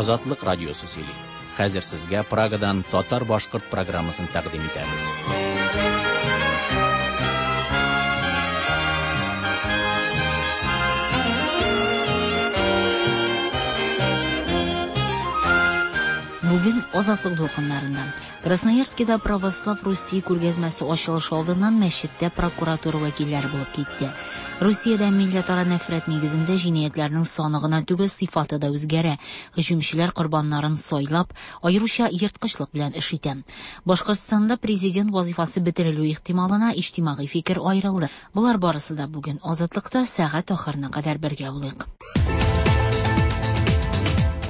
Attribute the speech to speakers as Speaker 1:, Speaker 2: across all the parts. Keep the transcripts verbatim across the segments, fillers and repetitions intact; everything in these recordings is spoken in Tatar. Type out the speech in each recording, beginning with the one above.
Speaker 1: Азатлык радиосы сөйли. Хәзер сезгә Прагадан татар-башкорт программасын тәкъдим итәбез.
Speaker 2: Бүген Азатлык дулкыннарында Красноярскида Православ Руси күргәзмәсе ачылышы алдыннан мәчеттә прокуратура вәкилләре булып китте. Русиядә милләтара нәфрәт нигезендә җинаятьләрнең саны гына түгел, сыйфаты да үзгәрә. Һөҗүмчеләр корбаннарын сайлап, аеруча ерткычлык белән эш итә. Башкортстанда президент вазифасы бетерелү ихтималына иҗтимагый фикер аерылды. Болар барысы да бүген Азатлыкта сәгать ахырына кадәр бергә булыйк.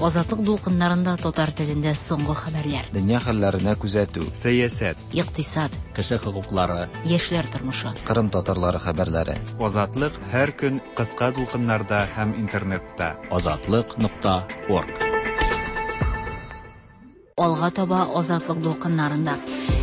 Speaker 2: Азатлык дулкыннарында татар телендә соңгы хәбәрләр.
Speaker 3: Дөнья хәлләренә күзәтү.
Speaker 4: Сәясәт.
Speaker 2: Икътисад.
Speaker 1: Кеше хокуклары.
Speaker 2: Яшьләр тормышы.
Speaker 3: Кырым татарлары хәбәрләре.
Speaker 4: Азатлык һәр көн кыска дулкыннарда һәм интернетта.
Speaker 1: Азатлык нокта орг.
Speaker 2: Алга таба Азатлык дулкыннарында.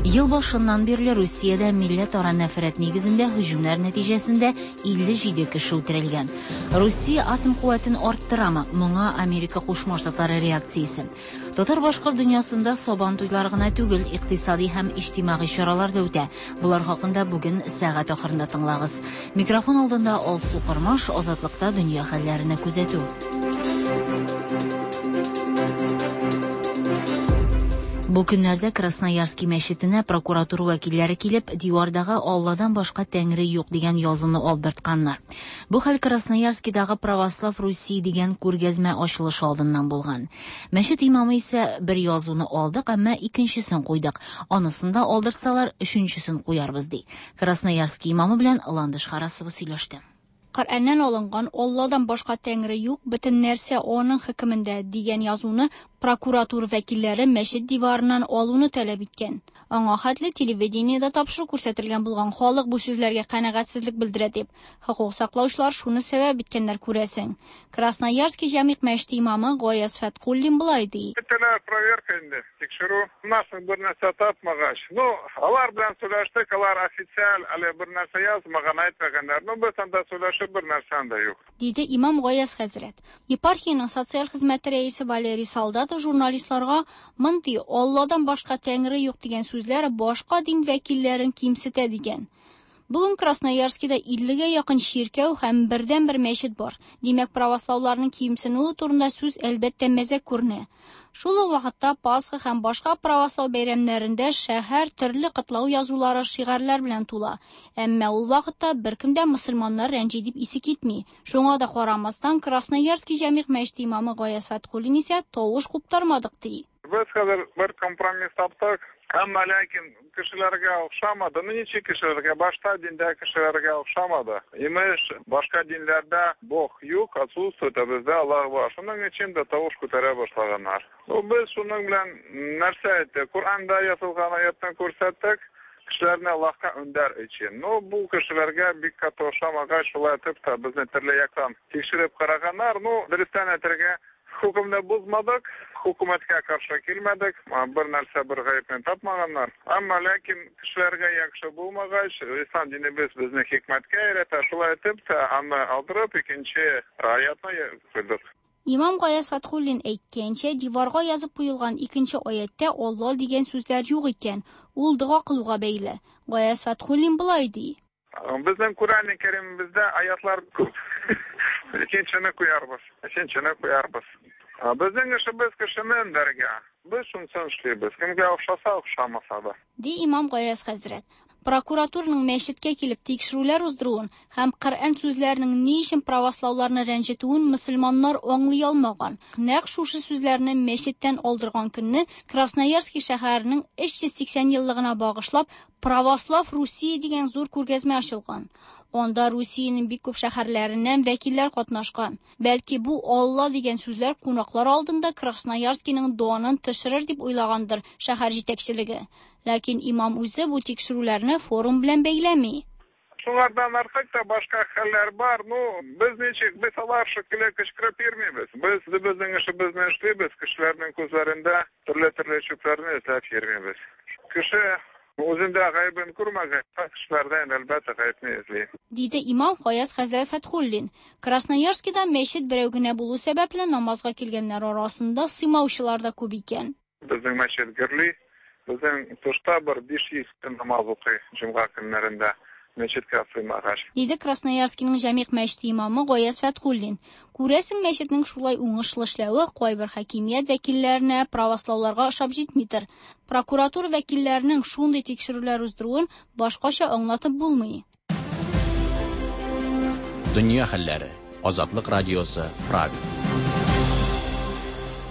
Speaker 2: Ел башыннан бирле Русиядә милләтара нәфрәт нигезендә һөҗүмнәр нәтиҗәсендә илле җиде кеше үтерелгән. Русия атом куәтен арттырамы? Моңа Америка Кушма Штатлары реакциясе. Татар-башкорт дөньясында сабан туйлары гына түгел, икътисади һәм иҗтимагый чаралар да үтә. Булар хакында бүген сәгать ахырында тыңлагыз. Микрофон алдында Алсу Кормаш, Азатлыкта дөнья хәлләренә күзәтү. Бу көннәрдә Красноярский мәчетенә прокуратура вәкилләре килеп, дивардагы Алладан башка тәңре юк дигән язуны алдыртканнар. Бу хәл Красноярскидагы Православ Руси дигән күргәзмә ачылышы алдыннан булган. Мәчет имамы исә бер язуны алдык, әмма икенчесен куйдык. Анысын да алдыртсалар, өченчесен куярбыз ди. Красноярский имамы белән Ландыш Харасова сөйләште.
Speaker 5: Коръәннән алынган Алладан башка тәңре юк, бөтен нәрсә аның хөкемендә дигән язуны прокуратура вәкилләре мәчет диварыннан алуны таләп иткән. Аңа хәтле телевидениедә тапшыру күрсәтелгән булган халык бу сүзләргә канәгатьсезлек белдерә дип, хокук саклаучылар шуны сәбәп иткәннәр күрәсең. Красноярский җәмигъ мәчете имамы Гаяз Фәткуллин болай ди.
Speaker 6: Көтелә проверка инде, тикшерү. Нас бер нәрсә тапмагач. Ну, алар белән сөйләштек, алар официаль әле бер нәрсә язмаган, әйтмәгәннәр. Ну, без анда сөйләшеп бер нәрсә дә юк.
Speaker 5: Диде имам Гаяз хәзрәт. Епархиянең социаль хезмәте рәисе Валерий Солдатов журналистларга мондый Алладан башка тәңре юк дигән сүзләр башка дин вәкилләрен кимсетә дигән. Бүген Красноярскида иллегә якын чиркәү һәм бердән-бер мәчет бар. Димәк, правослауларның кимсенүе турында сүз әлбәттә мәзәк күренә. Шул ук вакытта Пасха һәм башка правослау бәйрәмнәрендә шәһәр төрле котлау язулары, шигарьләр белән тула. Әмма ул вакытта беркем дә мөселманнар рәнҗи дип исе китми. Шуңа да карамастан Красноярский җәмигъ мәчете имамы Гаяз Фәткуллин исә тавыш куптармадык ди.
Speaker 6: Без хәзер бер компромисс таптык. Әмма ләкин кешеләргә охшамады. Ну, ничек кешеләргә? Башта диндә кешеләргә охшамады. Имеш, башка динләрдә Бог юк, отсутствует, а бездә Аллаһ бар. Шуның өчен дә тавыш күтәрә башлаганнар. Ну, без шуның белән нәрсә әйттек? Коръәндә язылган аятны күрсәттек, кешеләрне Аллаһка өндәр өчен. Ну, бу кешеләргә бик каты охшамагач, шулай итеп тә безне төрле яктан тикшереп караганнар. Ну, дөрестән әйтергә, хөкемне бозмадык, хөкүмәткә каршы килмәдек, бер нәрсә бер гаепне тапмаганнар. Әмма ләкин кешеләргә яхшы булмагач, ислам динебез безне хикмәткә өйрәтә, шулай итеп тә аны алдырып икенче аятны куйдык.
Speaker 5: Имам Гаяз Фәткуллин әйткәнчә, диварга язып куелган икенче аяттә Алла дигән сүзләр юк икән. Ул дога кылуга бәйле. Гаяз Фәткуллин болай ди.
Speaker 6: Безнең Коръән Кәримебездә аятлар күп. Икенчене куярбыз, өченчене куярбыз. Безнең эшебез кешене өндәргә. Без шунысын эшлибез. Кемгә охшаса, охшамаса да.
Speaker 5: Ди имам Гаяз хәзрәт. Прокуратураның мәчеткә килеп тикшерүләр уздыруын һәм Коръән сүзләренең ни өчен правослауларны рәнҗетүен мөселманнар аңлый алмаган. Нәкъ шушы сүзләрне мәчеттән алдырган көнне Красноярский шәһәренең өч йөз сиксән еллыгына багышлап Православ Русия дигән зур күргәзмә ачылган. Анда Русиянең бик күп шәһәрләреннән вәкилләр катнашкан. Бәлки бу Алла дигән сүзләр кунаклар алдында Красноярскийның данын төшерер дип уйлагандыр шәһәр җитәкчелеге. Ләкин имам үзе бу тикшерүләрне форум белән бәйләми.
Speaker 6: Шулардан артык та башка хәлләр бар. Ну, без ничек, без алар шикелле кычкырып йөрмибез. Без безнең эшебезне эшлибез, кешеләрнең күзләрендә төрле-төрле чүпләрне эзләп йөрмибез. Кеше Үзендә гаебен күрмәгән, кешеләрдән әлбәттә гаепне эзли.
Speaker 5: Диде имам Гаяз хәзрәт Фәтхуллин. Красноярскида мәчет берәү генә булу сәбәпле намазга килгәннәр арасында сыймаучылар да күп икән.
Speaker 6: Безнең мәчет гөрли, безнең тышта бер биш йөз кеше намаз укый җомга көннәрендә. Мәчеткә сыймагач.
Speaker 5: Диде Красноярскиның Җәмигъ мәчете имамы Гаяз Фәтхуллин. Күрәсең, мәчетнең шулай уңышлы эшләве кайбер хакимият вәкилләренә, правослауларга ошап җитмидер. Прокуратура вәкилләренең шундый тикшерүләр уздыруын башкача аңлатып булмый.
Speaker 1: Дөнья хәлләре. Азатлык радиосы, Прага.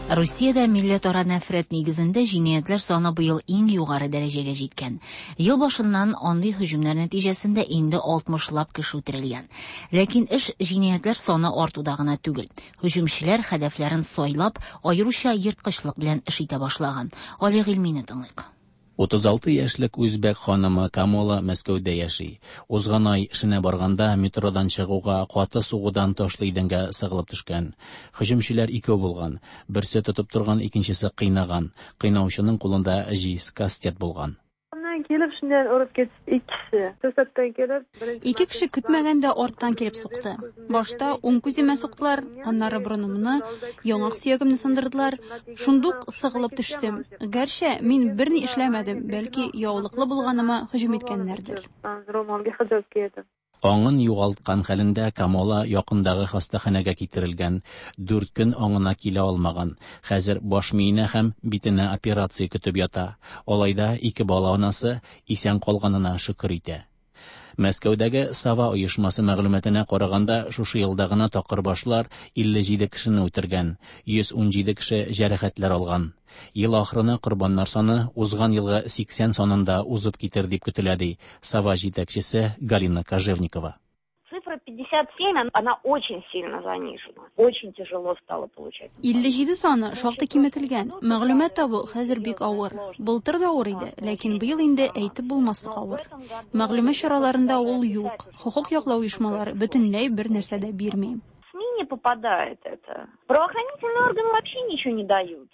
Speaker 2: Русиядә милләтара нәфрәт нигезендә җинаятьләр саны быел иң югары дәрәҗәгә җиткән. Ел башыннан андый һөҗүмнәр нәтиҗәсендә инде алтмышлап кеше үтерелгән. Ләкин эш җинаятьләр саны артуда гына түгел. Һөҗүмчеләр һәдәфләрен сайлап, аеруча ерткычлык белән эш итә башлаган. Али Гыйльмине тыңлыйк.
Speaker 1: Утыз алты яшьлек үзбәк ханымы Камола Мәскәүдә яши. Узган ай эшенә барганда метродан чыгуга каты сугудан ташлы идәнгә сыгылып төшкән. Һөҗүмчеләр икәү булган. Берсе тотып торган, икенчесе кыйнаган. Кыйнаучының кулында җиз кастет булган.
Speaker 7: Келіп шуннан урып кетти ikki kishi. To'satdan kelib, birinchi
Speaker 8: Ике кеше көтмәгәндә арттан килеп сукты. Башта уң күземә суктылар, аннары борынымны, яңак сөягемне сындырдылар. Шундук сыгылып төштем. Гәрчә мин берни эшләмәдем, бәлки яулыклы булганыма һөҗүм иткәннәрдер.
Speaker 7: Ro'molga hijob kiydim.
Speaker 1: Аңын югалткан хәлендә Камола якындагы хастаханәгә китерелгән. Дүрт көн аңына килә алмаган. Хәзер баш миенә һәм битенә операция көтеп ята. Алай да ике бала анасы исән калганына шөкер итә. Мәскәүдәге Сава оешмасы мәгълүматына караганда, шушы елда гына такырбашлар илле җиде кешене үтергән, йөз ун җиде кеше җәрәхәтләр алган. Ел ахырына корбаннар саны узган елгы сиксән санында узып китер дип көтелә, ди Сава җитәкчесе Галина Кожевникова.
Speaker 9: Цифра пятьдесят семь, она очень сильно занижена. Очень тяжело стало получать.
Speaker 8: Илле җиде саны шактый киметелгән. Мәгълүмат табу хәзер бик авыр. Былтыр да авыр иде, ләкин быел инде әйтеп булмаслык авыр. Мәгълүмат чараларында ул юк. Хукук яклау оешмалары бөтенләй бер нәрсә дә бирми.
Speaker 9: В СМИ не попадает это. Правоохранительные органы вообще ничего не дают.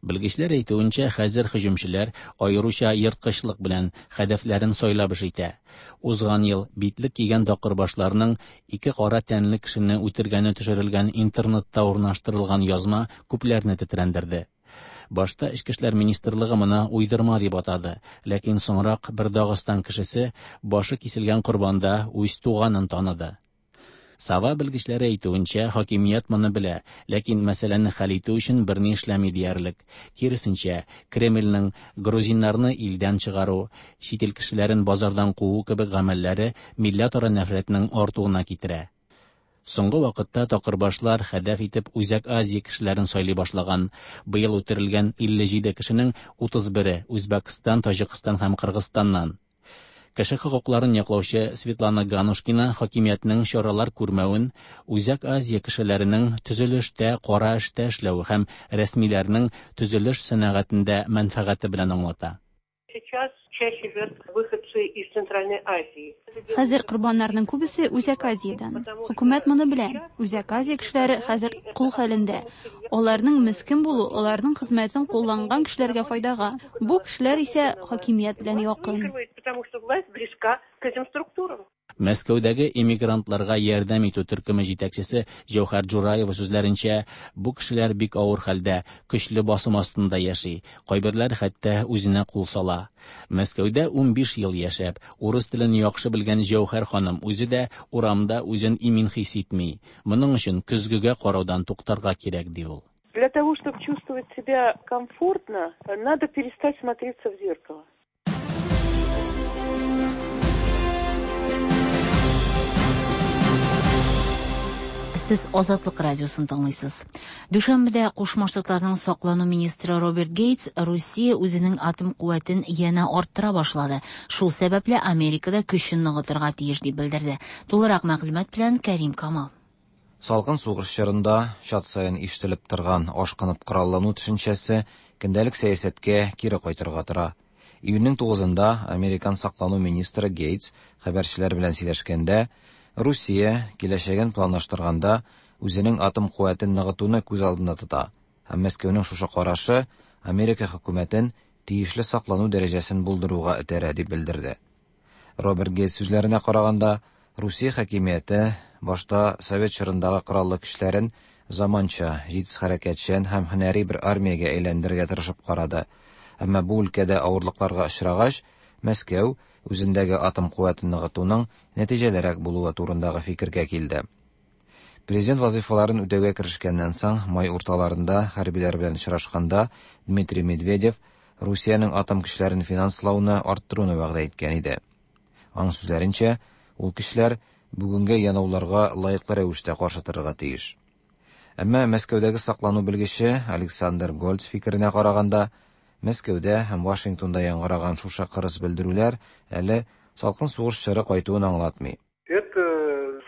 Speaker 1: Белгечләр әйтүенчә, хәзер һөҗүмчеләр аеруча ерткычлык белән һәдәфләрен сайлап эш итә. Узган ел битлек кигән такырбашларның ике кара тәнле кешене үтергәне төшерелгән интернетта урнаштырылган язма күпләрне тетрәндерде. Башта Эчке эшләр министрлыгы моны уйдырма дип атады, ләкин соңрак бер Дагыстан кешесе башы киселгән корбанда үз туганын таныды. Сава белгечләре әйтүенчә, хакимият моны белә, ләкин мәсьәләне хәл итү өчен берни эшләми диярлек. Киресенчә, Кремльнең грузиннарны илдән чыгару, чит ил кешеләрен базардан куу кебек гамәлләре милләтара нәфрәтнең артуына китерә. Соңгы вакытта такырбашлар һәдәф итеп Үзәк Азия кешеләрен сайлый башлаган. Быел үтерелгән илле җиде кешенең утыз бере Үзбәкстан, Таҗикстан һәм Кыргызстаннан. Кеше хокукларын яклаучы Светлана Ганушкина хакимиятнең чаралар күрмәвен, Үзәк Азия кешеләренең төзелештә, кара эштә эшләве һәм рәсмиләрнең төзелеш сәнәгатендә мәнфәгате белән аңлата.
Speaker 10: Сейчас чаще жертв выходцы из Центральной Азии.
Speaker 8: Хәзер корбаннарның күбесе Үзәк Азиядән. Хөкүмәт моны белә. Үзәк Азия кешеләре хәзер кул хәлендә. Аларның мескен булу, аларның хезмәтен кулланган кешеләргә файдага. Бу кешеләр исә хакимият белән якын.
Speaker 10: Потому что власть близка к этим структурам.
Speaker 1: Мәскәүдәге эмигрантларга ярдәм итү төркеме җитәкчесе Җәүһәр Джураева сүзләренчә, бу кешеләр бик авыр хәлдә, көчле басым астында яши. Кайберләр хәтта үзенә кул сала. Мәскәүдә унбиш ел яшәп, урыс телен яхшы белгән Җәүһәр ханым үзе дә урамда үзен имин хис итми. Моның өчен көзгегә караудан туктарга кирәк, ди ул.
Speaker 10: Для того, чтобы чувствовать себя комфортно, надо перестать смотреться в зеркало.
Speaker 2: Сез Азатлык радиосын тыңлыйсыз. Дүшәмбедә Кушма Штатларның саклану министры Роберт Гейтс Русия үзенең атом куәтен янә арттыра башлады. Шул сәбәпле Америкада көчен ныгытырга тиеш дип белдерде. Тулырак мәгълүмат белән Кәрим Камал.
Speaker 3: Салкын сугыш чорында чат саен ишетелеп торган ашкынып кораллану төшенчәсе көндәлек сәясәткә кире кайтырга тора. Июньнең тугызында Американ саклану министры Гейтс хәбәрчеләр белән сөйләшкәндә Русия киләчәген планлаштырганда үзенең атом куәтен ныгытуны күз алдында тота. Һәм Мәскәүнең шушы карашы Америка хөкүмәтен тиешле саклану дәрәҗәсен булдыруга этәрә, дип белдерде. Роберт Гейтс сүзләренә караганда, Русия хакимияте башта совет чорындагы кораллы көчләрен заманча, җитез хәрәкәтчән һәм һөнәри бер армиягә әйләндерергә тырышып карады. Әмма бу өлкәдә авырлыкларга очрагач, Мәскәү үзендәге атом куәтен ныгытуның нәтиҗәлерәк булуы турындагы фикергә килде. Президент вазыйфаларын үтәүгә керешкәннән соң, май урталарында хәрбиләр белән очрашканда Дмитрий Медведев Русиянең атом көчләрен финанслауны арттыруны вәгъдә иткән иде. Аның сүзләренчә, ул көчләр бүгенге янауларга лаеклы рәвештә каршы торырга тиеш. Әмма Мәскәүдәге саклану белгече Александр Гольц фикеренә караганда, Мәскәүдә һәм Вашингтонда яңгыраган шушы кырыс белдерүләр әле салкын сугыш чоры кайтуын аңлатмый.
Speaker 11: Это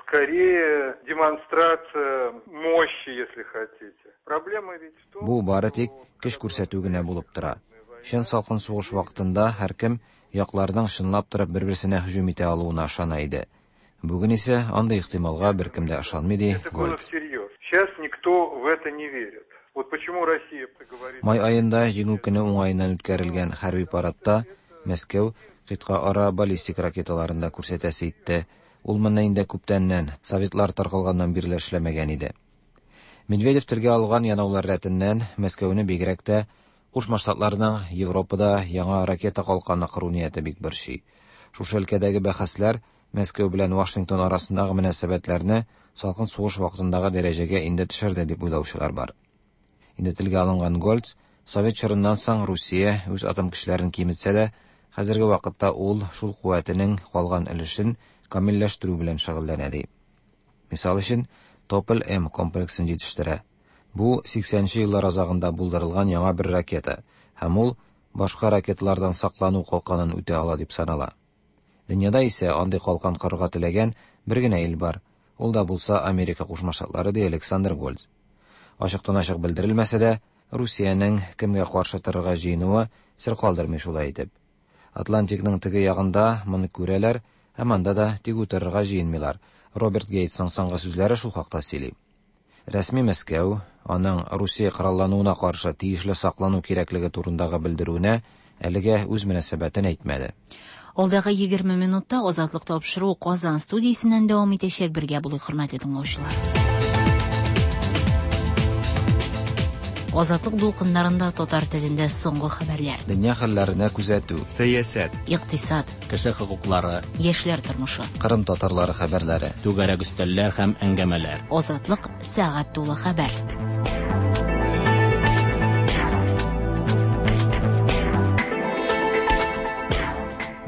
Speaker 11: скорее демонстрация мощи, если хотите. Проблема ведь в том,
Speaker 3: Бу бары тик көч күрсәтү генә булып тора. Чын салкын сугыш вакытында һәркем якларның чынлап торып бер-берсенә һөҗүм итә алуына ышана иде. Бүген исә андый ихтималга беркем дә ышанмый, ди
Speaker 11: это было
Speaker 3: Гольц.
Speaker 11: всерьез. Сейчас никто в это не верит. Вот почему Россия говорит...
Speaker 3: Май аенда Җиңү көне уңаеннан үткәрелгән хәрби парадта Мәскәү кыйтга ара баллистик ракеталарын да күрсәтәсе итте. Ул моны инде күптәннән, советлар таркалганнан бирле эшләмәгән иде. Медведев телгә алган янаулар рәтеннән Мәскәүне бигрәк тә Кушма Штатларның Европада яңа ракета калканы кору нияте бик борчый. Шушы өлкәдәге бәхәсләр Мәскәү белән Вашингтон арасындагы мөнәсәбәтләрне салкын сугыш вакытындагы дәрәҗәгә инде төшерде дип уйлаучылар бар. Инде телгә алынган Гольц, совет чорыннан соң Русия үз атом көчләрен киметсә дә, хәзерге вакытта ул шул куәтенең калган өлешен камилләштерү белән шөгыльләнә ди. Мисал өчен, Тополь-М комплексын җитештерә. Бу сиксәнче еллар азагында булдырылган яңа бер ракета, һәм ул башка ракеталардан саклану калканын үтә ала дип санала. Дөньяда исә андый калкан корырга теләгән бер генә ил бар. Ул да булса Америка Кушма Штатлары, ди Александр Гольц. Ачыктан-ачык белдерелмәсә дә, Русиянең кемгә каршы торырга җыенуы сер калдырмый шулай итеп. Атлантикның теге ягында моны күрәләр, һәм анда да тик утырырга җыенмыйлар. Роберт Гейтсның соңгы сүзләре шул хакта сөйли. Рәсми Мәскәү аның Русия кораллануына каршы тиешле саклану кирәклеге турындагы белдерүенә әлегә үз мөнәсәбәтен әйтмәде.
Speaker 2: Алдагы егерме минутта Азатлык тапшыруы Казан студиясеннән дәвам итәчәк. Бергә булыйк, хөрмәтле тыңлаучылар. Азатлык дулкыннарында татар телендә соңгы хәбәрләр.
Speaker 3: Дөнья хәлләренә күзәтү,
Speaker 4: сәясәт,
Speaker 2: икътисад,
Speaker 1: кеше хокуклары,
Speaker 2: яшьләр тормышы,
Speaker 3: Кырым татарлары хәбәрләре,
Speaker 1: түгәрәк өстәлләр һәм әңгәмәләр.
Speaker 2: Азатлык сәгать тулы хәбәр.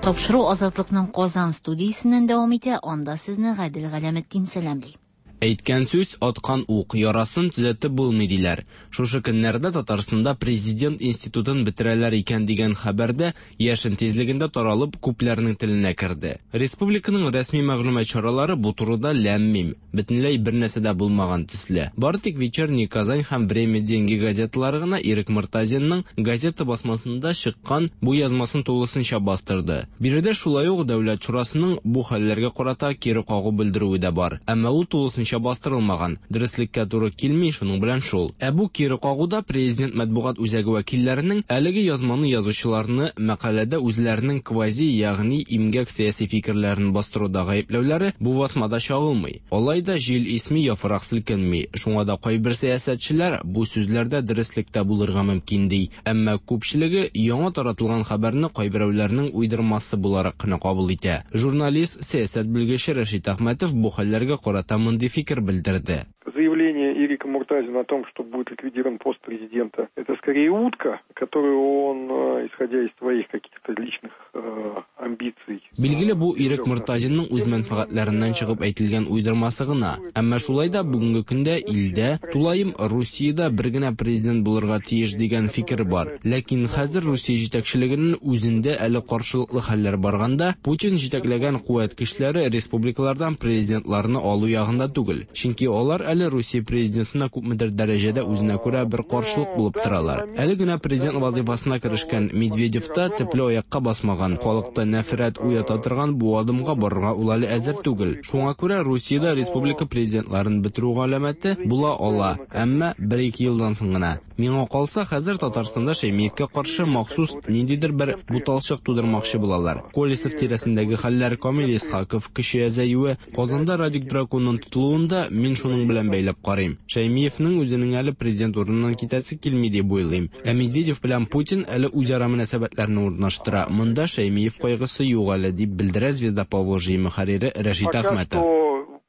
Speaker 2: Тапшыру Азатлыкның Казан студиясеннән дәвам итә. Анда сезне Гадел Галәметдин сәламли.
Speaker 12: Әйткән сүз аткан ук, ярасын төзәтеп булмый диләр. Шушы көннәрдә Татарстанда президент институтын бетерәләр икән дигән хәбәрдә яшен тизлегендә таралып күпләрнең теленә керде. Республиканың рәсми мәгълүмат чаралары бу турыда ләм-мим, бөтенләй бер нәрсә дә булмаган төсле. Бары тик Вечерний Казань һәм Время деньги газеталары гына Ирек Мортазинның газета басмасында чыккан бу язмасын тулысынча бастырды. Биредә шулай ук Дәүләт шурасының бу хәлләргә карата кире кагу белдерүе дә бар. Әмма ул тулысынча бастырылмаган, дөреслеккә туры килми, шуның белән шул. Ә бу кире кагуда президент матбугат үзәге вәкилләренең әлеге язманы язучыларны мәкаләдә үзләренең квази, ягъни имгәк сәяси фикерләрен бастыруда гаепләүләре бу басмада чагылмый. Алай да җил исми, яфрак селкенми. Шуңа да кайбер сәясәтчеләр бу сүзләрдә дөреслектә булырга мөмкин ди. Әмма күпчелеге яңа таратылган хәбәрне кайберәүләрнең уйдырмасы буларак кына кабул итә. Журналист, сәясәт белгече Рәшит Әхмәтов бу хәлләргә карата мондый фикер белдерде.
Speaker 11: Заявление Ирека Муртазина о том, что будет ликвидирован пост президента, это скорее утка, которую он, исходя из своих каких-то личных э, амбиций.
Speaker 12: Билгеле, бу Ирек Муртазинның үз мәнфәгатьләреннән чыгып әйтелгән уйдырмасы гына. Әмма шулай да бүгенге көндә илдә, тулаем Русиядә бер генә президент булырга тиеш дигән фикер бар. Ләкин хәзер Русия җитәкчелегенең үзендә әле каршылыклы хәлләр барганда, Путин җитәкләгән куәт көчләре республикалардан президентларны алу ягында түгел. Чөнки алар әле Русия президентына күпмедер дәрәҗәдә үзенә күрә бер каршылык булып торалар. Әле генә президент вазифасына керешкән Медведев та төпле аякка басмаган, халыкта нәфрәт уята торган бу адымга барырга ул әле әзер түгел. Шуңа күрә Русиядә республика президентларын бетерү галәмәте була ала, әмма бер-ике елдан соң гына. Миңа калса, хәзер Татарстанда Шәймиевкә каршы махсус ниндидер бер буталчык тудырмакчы булалар. Колесов тирәсендәге хәлләр, Камил Исхаков көче әзәюе, Казанда Радик Драконның тотылуын да мин шуның белән бәйләп карыйм. Шәймиевнең үзенең әле президент урыныннан китәсе килми дип уйлыйм. Ә Медведев белән Путин әле үзара мөнәсәбәтләрне урнаштыра. Монда Шәймиев кайгысы юк әле, дип белдерә «Звезда Поволжья» мөхәррире Рәшит Әхмәтов.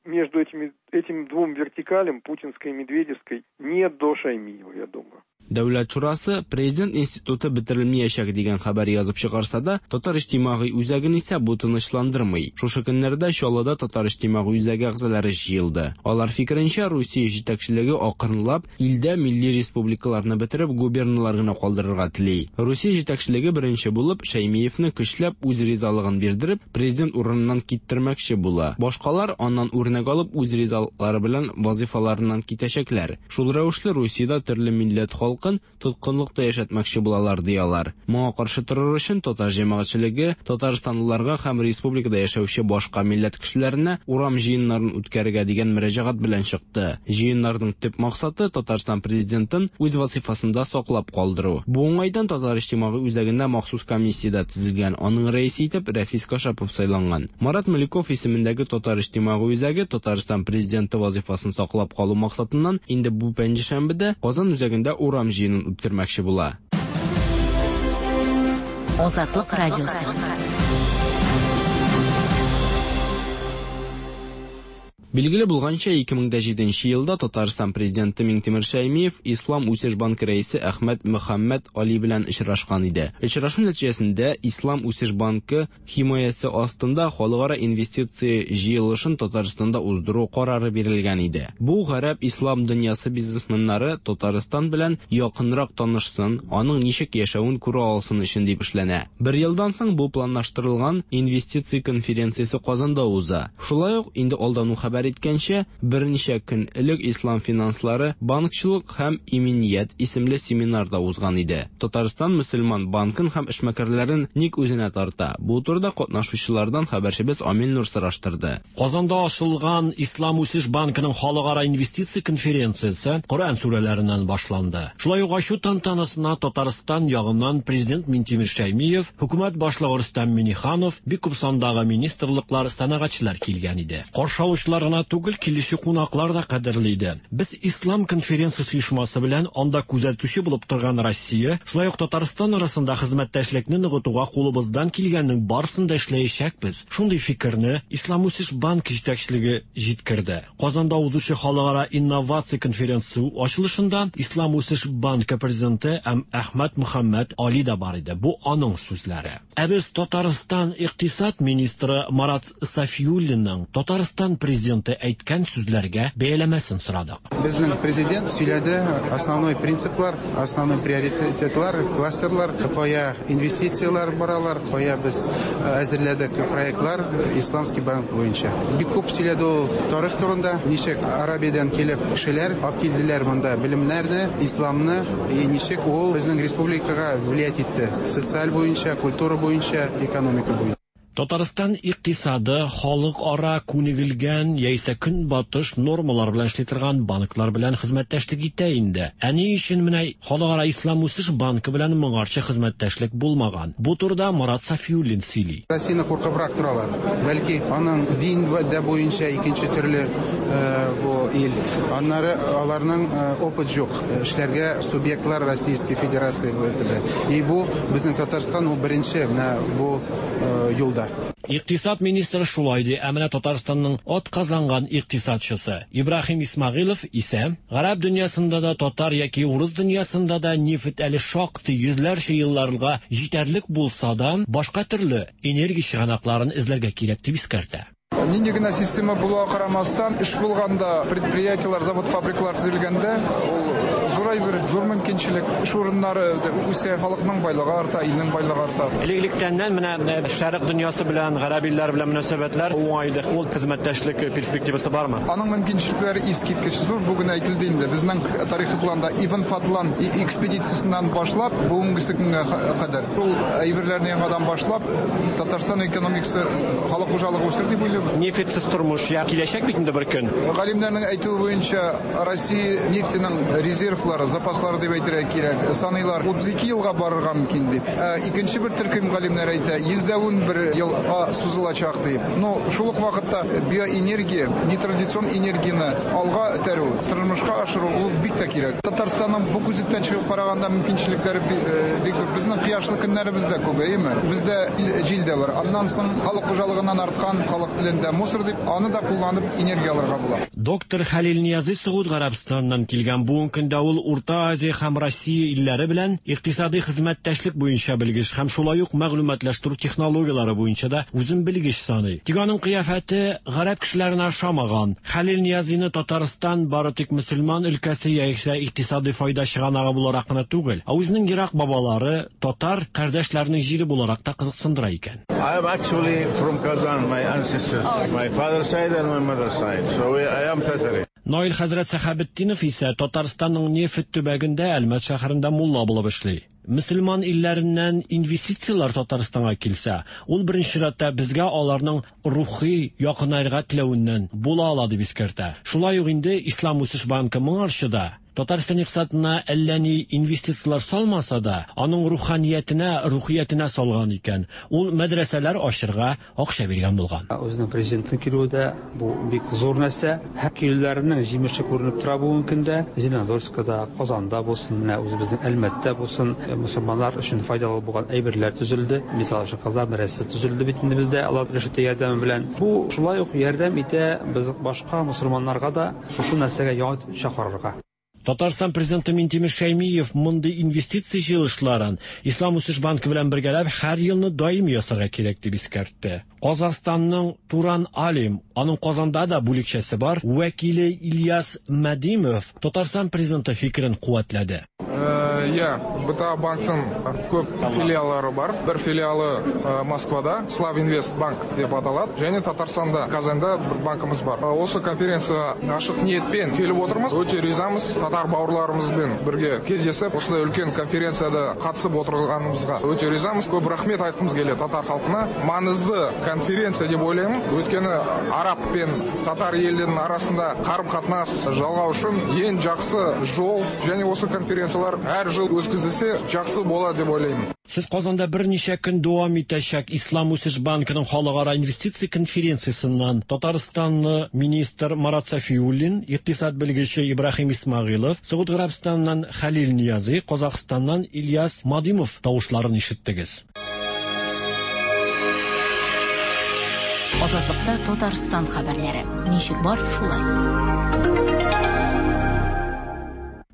Speaker 11: Между этими, этим двум вертикалям, путинской и медведевской, не до Шаймиева, я думаю.
Speaker 12: Дәүләт шурасы президент институты бетерелмәячәк дигән хәбәр язып чыгарса да, Татар иҗтимагый үзәген исә бу тынычландырмый. Шушы көннәрдә Чаллыда Татар иҗтимагый үзәге әгъзалары җыелды. Алар фикеренчә, Русия җитәкчелеге акрынлап илдә милли республикаларны бетереп губерналар гына калдырырга тели. Русия җитәкчелеге беренче булып Шәймиевне көчләп үз ризалыгын бирдереп, президент урыныннан киттермәкче була. Башкалар аннан үрнәк алып үз ризалыклары белән вазифаларыннан китәчәкләр. Шул рәвешле Русиядә төрле милләт халкы тоткынлыкта яшәтмәкче булалар, диялар. Моңа каршы торыр өчен татар җәмәгатьчелеге татарстанлыларга һәм республикада яшәүче башка милләт кешеләренә урам җыеннарын үткәрергә дигән мөрәҗәгать белән чыкты. Җыеннарның төп максаты Татарстан президентын үз вазифасында саклап калдыру. Бу уңайдан Татар иҗтимагый үзәгендә махсус комиссия дә төзелгән. Аның рәисе итеп Рәфис Кашапов сайланган. Марат Мөликов исемендәге Татар иҗтимагый үзәге Татарстан президенты вазифасын саклап калу максатыннан инде бу пәнҗешәмбедә Казан үзәгендә урам җыенын үткәрмәкче була.
Speaker 2: Азатлык радиосы.
Speaker 12: Билгеле булганча, ике мең дә җиденче елда Татарстан президенты Миңтимер Шәймиев Ислам үсеш банкы рәисе Әхмәт Мөхәммәт Али белән очрашкан иде. Очрашу нәтиҗәсендә Ислам үсеш банкы химаясы астында халыкара инвестиция җыелышын Татарстанда уздыру карары бирелгән иде. Бу гарәп ислам дөньясы бизнесменнары Татарстан белән якынрак танышсын, аның ничек яшәвен күрә алсын өчен дип эшләнә. Бер елдан соң бу планлаштырылган инвестиция конференциясе Казанда уза. Шулай ук инде алдан ук хәбәр иткәнчә, берничә көн элек Ислам финанслары, банкчылык һәм иминият исемле семинарда узган иде. Татарстан мөселман банкын һәм эшмәкәрләрен ник үзенә тарта? Бу турыда катнашучылардан хәбәрчебез Амил Нур сораштырды.
Speaker 13: Казанда ачылган Ислам үсеш банкының халыкара инвестиция конференциясе Коръән сүрәләреннән башланды. Шулай ук ачу тантанасына Татарстан ягыннан президент Минтимер Шәймиев, хөкүмәт башлыгы Рөстәм Миңнеханов, бик күп сандагы министрлыклар, сәнәгатьчеләр килгән иде. Каршы алучылар гына түгел, килүче кунаклар да кадерле иде. Без Ислам конференциясе оешмасы белән анда күзәтүче булып торган Россия, шулай ук Татарстан арасында хезмәттәшлекне ныгытуга кулыбыздан килгәннең барысын да эшләячәкбез. Шундый фикерне Ислам үсеш банкы җитәкчелеге җиткерде. Казанда узучы халыкара инновация конференциясе ачылышында Ислам үсеш банкы президенты Әхмәт Мөхәммәт Али да бар иде. Бу аның сүзләре. Ә без Татарстан икътисад министры Марат Сафиуллинның Татарстан президенты әйткән сүзләргә бәяләмәсен сорадык.
Speaker 14: Безнең президент сөйләде основной принциплар, основной приоритетлар, кластерлар, кая инвестицияләр баралар, кая без әзерләдек проектлар Исламский банк буенча. Бик күп сөйләде ул тарих турында, ничек Арабиядән килеп кешеләр алып килделәр монда белемнәрне, исламны, и ничек ул безнең республикага влиять итте, социаль буенча, культура буенча, экономика буенча.
Speaker 13: Татарстан икътисады халыкара күнегелгән яисә көнбатыш нормалар белән эшли торган банклар белән хезмәттәшлек итә инде. Ә ни өчен менә Халыкара Ислам үсеш банкы белән моңарчы хезмәттәшлек булмаган? Бу турыда Марат Сафиуллин сөйли.
Speaker 14: Россияне куркыбрак торалар. Бәлки аның дин дә буенча икенче төрле бу ил. Аннары аларның опыт юк. Эшләргә субъектлар Российской Федерации белән. И бу безнең Татарстан ул беренче менә бу юлда.
Speaker 13: Икътисад министры шулай ди, ә менә Татарстанның атказанган икътисадчысы Ибраһим Исмагилов исә гарәп дөньясында да, татар яки урыс дөньясында да нефть әле шактый йөзләрчә елларга җитәрлек булса да, башка төрле энергия чыганакларын эзләргә кирәк дип искәртә.
Speaker 15: Нинди генә система булуга карамастан, эш булганда, предприятиелар, завод, фабрикалар төзелгәндә, ул зур әйбер, зур мөмкинчелек, эш урыннары үсә, халыкның байлыгы арта, илнең байлыгы арта.
Speaker 13: Элек-электәннән менә Шәрык дөньясы белән, гарәп илләре белән мөнәсәбәтләр уңай иде. Ул хезмәттәшлек перспективасы бармы?
Speaker 15: Аның мөмкинчелекләре искиткеч зур. Бүген әйтелде инде. Безнең тарихи планда Ибн Фадлан экспедициясеннән башлап, бүгенге көнгә кадәр. Ул әйберләрне яңадан башлап, Татарстан экономикасы, халык хуҗалыгы үсер дип уйлыйм.
Speaker 13: Нефтьсез тормыш я киләчәк бит инде бер көн.
Speaker 15: Галимнәрнең әйтүе буенча, Россия нефтенең резерв Резервлары, запаслары дип әйтергә кирәк, саныйлар утыз ике елга барырга мөмкин дип. Ә икенче бер төркем галимнәр әйтә, йөз дә унбер елга сузылачак дип. Но шул ук вакытта биоэнергия, нетрадицион энергияне алга этәрү, тормышка ашыру ул бик тә кирәк. Татарстанның бу күзлектән чыгып караганда мөмкинчелекләре бик зур. Безнең кояшлы көннәребез дә күп, әйеме? Бездә җил дә бар. Аннан соң халык хуҗалыгыннан арткан халык телендә мусор дип, аны да кулланып энергия алырга була.
Speaker 13: Доктор Хәлил Ниязи Согуд Гарәбстаныннан килгән. Бүгенге көндә ул Урта Азия һәм Россия илләре белән икътисади хезмәттәшлек буенча белгеч һәм шулай ук мәгълүматлаштыру технологияләре буенча да үзен белгеч саный. Тик аның кыяфәте гарәп кешеләренә ошамаган. Хәлил Ниязины Татарстан бары тик мөселман өлкәсе яисә икътисади файда чыганагы буларак кына түгел, ә үзенең ерак бабалары татар кардәшләренең җире буларак та кызыксындыра икән.
Speaker 16: I am actually from Kazan, my ancestors, my father's side and my mother's side. So I am Tatari.
Speaker 13: Наил хәзрәт Сәхәбетдинов исә Татарстанның нефть төбәгендә Әлмәт шәһәрендә мулла булып эшли. Мөселман илләреннән инвестицияләр Татарстанга килсә, ул беренче чиратта безгә аларның рухи якынайырга теләвеннән була ала дип искәртә. Шулай ук инде Ислам үсеш банкы моңарчы да Татарстан икътисадына әллә ни инвестицияләр салмаса да, аның руханиятенә, рухиятенә салган икән. Ул мәдрәсәләр ачырга акча биргән булган.
Speaker 17: Үзенең президентның килүе дә бу бик зур нәрсә. Һәр килүләренең җимеше күренеп тора бүгенге көндә. Зеленодольскда, Казанда булсын, менә үзебезнең Әлмәттә булсын, мөселманнар өчен файдалы булган әйберләр төзелде. Мисал өчен Казан мәдрәсәсе төзелде бит инде бездә, алар рәшәтә ярдәме белән. Бу шулай ук ярдәм итә без башка мөселманнарга да шушы нәрсәгә яңача карарга.
Speaker 13: Татарстан президенты Минтимер Шәймиев мондый инвестиция җыелышларын Ислам үсеш банкы белән бергәләп һәр елны даими ясарга кирәк дип искәртте. Казахстанның Туран Алим, аның Казанда да бүлекчәсе бар, вәкиле Ильяс Мадимов Татарстан президенты фикерен куәтләде.
Speaker 18: Иә, Б Т А банктың көп филиаллары бар. Бір филиалы Москвада, Славинвест банк деп аталады. Және Татарстанда, Казанда бір банкіміз бар. Осы конференция ашық ниетпен келіп отырмыз. Өте ризамыз. Татар бауырларымызбен бірге кездесіп, осындай үлкен конференцияда қатысып отырғанымызға өте ризамыз. Көп рахмет айтқымыз келеді татар халқына. Маңызды конференция деп ойлаймын. Өйткені араб пен татар елдерінің арасында қарым-қатынас жалғау үшін ең жақсы жол, және осы конференциялар әр жыл өткізілсе жақсы болады деп ойлаймын.
Speaker 13: Сез Казанда берничә көн дәвам итәчәк Ислам үсеш банкының халыкара инвестиция конференциясеннән Татарстанлы министр Марат Сафиуллин, икътисад белгече Ибраһим Исмагилов, Согуд Гарәбстаннан Хәлил Ниязи, Казахстаннан Ильяс Мадимов тавышларын ишеттегез.
Speaker 2: Азатлыкта Татарстан хәбәрләре. Ничек бар, шулай.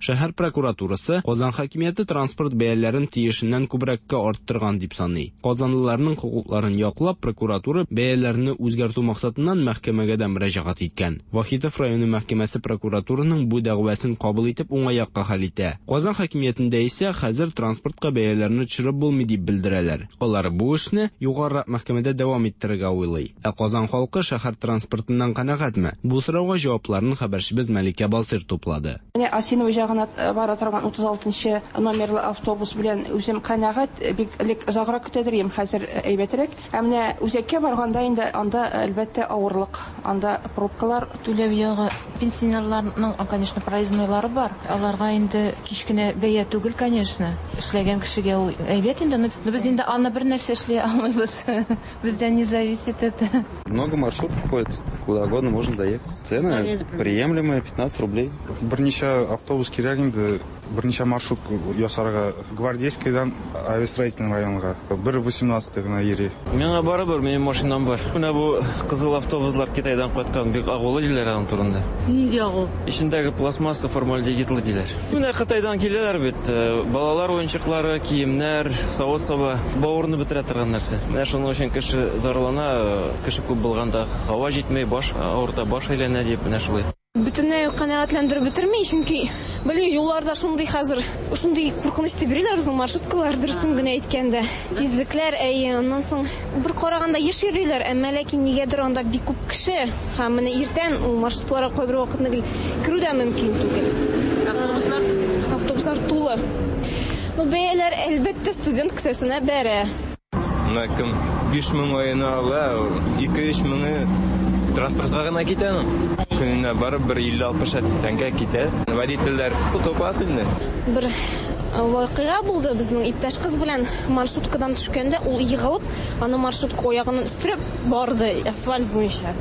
Speaker 12: Шәһәр прокуратурасы Казан хакимияте транспорт бәяләрен тиешеннән күбрәккә арттырган дип саный. Казанлыларның хокукларын яклап, прокуратура бәяләрне үзгәртү максатыннан мәхкәмәгә дә мөрәҗәгать иткән. Вахитов районы мәхкәмәсе прокуратураның бу дәгъвасын кабул итеп уңай якка хәл итә. Казан хакимиятендә исә хәзер транспортка бәяләрне төшереп булмый дип белдерәләр. Алар бу эшне югарырак мәхкәмәдә дәвам иттерергә уйлый. Ә Казан халкы шәһәр транспортыннан канәгатьме? Бу сорауга җавапларын хәбәрчебез Мәликә Басыр туплады.
Speaker 19: Бара торган утыз алтынчы номерлы автобус белән үзем канәгать, бик элек озаграк көтәдер идем, хәзер әйбәтрәк. Ә менә үзәккә барганда инде анда әлбәттә авырлык, анда пробкалар.
Speaker 20: Түләү ягы пенсионерларның, конечно, проезднойлары бар. Аларга инде кечкенә бәя түгел, конечно. Эшләгән кешегә ул әйбәт инде, но без инде аны бер нәрсә эшли алмыйбыз. Бездән не зависит это.
Speaker 21: Много маршрутов ходит, куда угодно можно доехать. Цены приемлемые, пятнадцать рублей.
Speaker 14: Берничә автобус кирәк инде, берничә маршрут ясарга. Гвардейскийдан Авиастроительный районга бер восемнадцатый гына йөри.
Speaker 22: Миңа барыбер, минем машинам бар. Менә бу кызыл автобуслар Китайдан кайткан, бик агулы диләр аның турында.
Speaker 23: Нинди агу?
Speaker 22: Эчендәге пластмасса формальдегидлы диләр. Менә Кытайдан киләләр бит, балалар уенчыклары, киемнәр, савыт-саба, бавырны бетерә торган нәрсә. Менә шуның өчен кеше зарлана, кеше күп булганда һава җитмәй, баш авырта, баш әйләнә дип, менә шулай.
Speaker 24: Бөтенләй канәгатьләндереп бетерми, чөнки белмим, юлларда шундый хәзер, шундый куркыныч дип йөриләр безнең маршруткалар, дөресен генә әйткәндә. Тизлекләр, әйе, аннан соң бер караганда еш йөриләр, әмма ләкин нигәдер анда бик күп кеше. Һәм менә иртән ул маршруткаларга кайбер вакытны гел керү дә мөмкин түгел. Автобуслар, автобуслар тулы. Ну, бәяләр әлбәттә студент кесәсенә бәрә.
Speaker 25: Менә кем биш мең аена ала, ике-өч меңе
Speaker 5: Транспортка гына китә аның. Көненә барып бер илле-алтмыш тәңкә китә. Водительләр тупас инде.
Speaker 24: Бер вакыйга булды безнең иптәш кыз белән маршруткадан төшкәндә ул егылып, аны маршрутка аягыннан өстерәп барды асфальт буенча.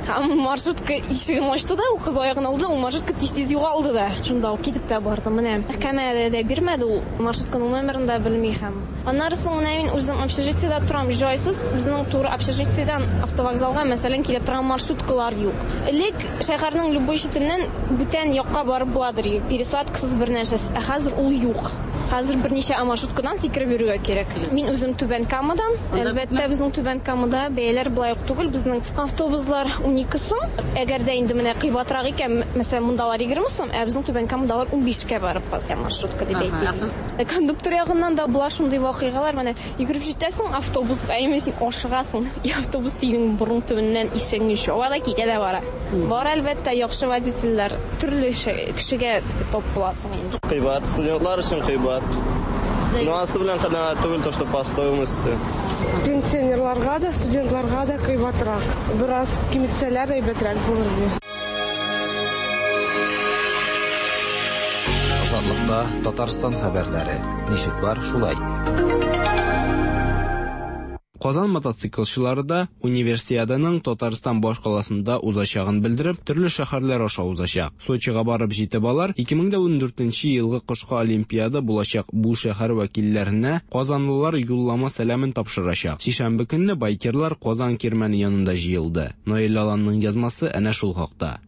Speaker 24: Һәм маршрутка ишеген ачты да, ул кыз аягын алды, ул маршрутка тиз-тиз югалды да. Шунда ук китеп тә барды. Менә мәхкәмәдә дә бирмәде ул маршрутканың номерын да белми һәм. Аннары соң менә мин үзем общежитиедә торам, җайсыз. Безнең туры общежитиедән автовокзалга, мәсәлән, килә торган маршруткалар юк. Элек шәһәрнең любой читеннән бүтән якка барып буладыр, пересадкасыз бер нәрсәсез. Ә хәзер ул юк. Хәзер берничә маршруткадан сикереп йөрергә кирәк. Мин үзем Түбән Камадан. Әлбәттә, безнең Түбән Камада бәяләр болай ук түгел. Безнең автобуслар унике сум. Әгәр дә инде менә кыйбатрак икән, мәсәлән, мондалар егерме сум, ә безнең Түбән Камадалар унбишкә барып баса маршрутка дип әйтик. Кондуктор ягыннан да була шундый вакыйгалар. Менә йөгереп җитәсең автобуска, әмма син ашыгасың. И автобус синең борын төбеннән ишегеңне чаба да китә дә бара. Бар әлбәттә яхшы водительләр, төрле кешегә топ буласың инде.
Speaker 6: Кыйбат, студентлар өчен кыйбат. Ну, анысы белән канәгать түгел, то, что по стоимости.
Speaker 7: Пенсионерларга да, студентларга да кыйбатрак. Бераз киметсәләр әйбәтрәк булыр иде.
Speaker 3: Азатлыкта Татарстан хәбәрләре. Ничек бар, шулай.
Speaker 12: Казан мотоциклчылары да Универсиаданың Татарстан башкаласында узачагын белдереп, төрле шәһәрләр аша узачак. Сочига барып җитеп алар, ике мең дә ундүртенче елгы кышкы Олимпиада булачак бу шәһәр вәкилләренә казанлылар юллама сәламен тапшырачак. Сишәмбе көнне байкерлар Казан кирмәне янында җыелды. Наил Аланның язмасы әнә шул хакта.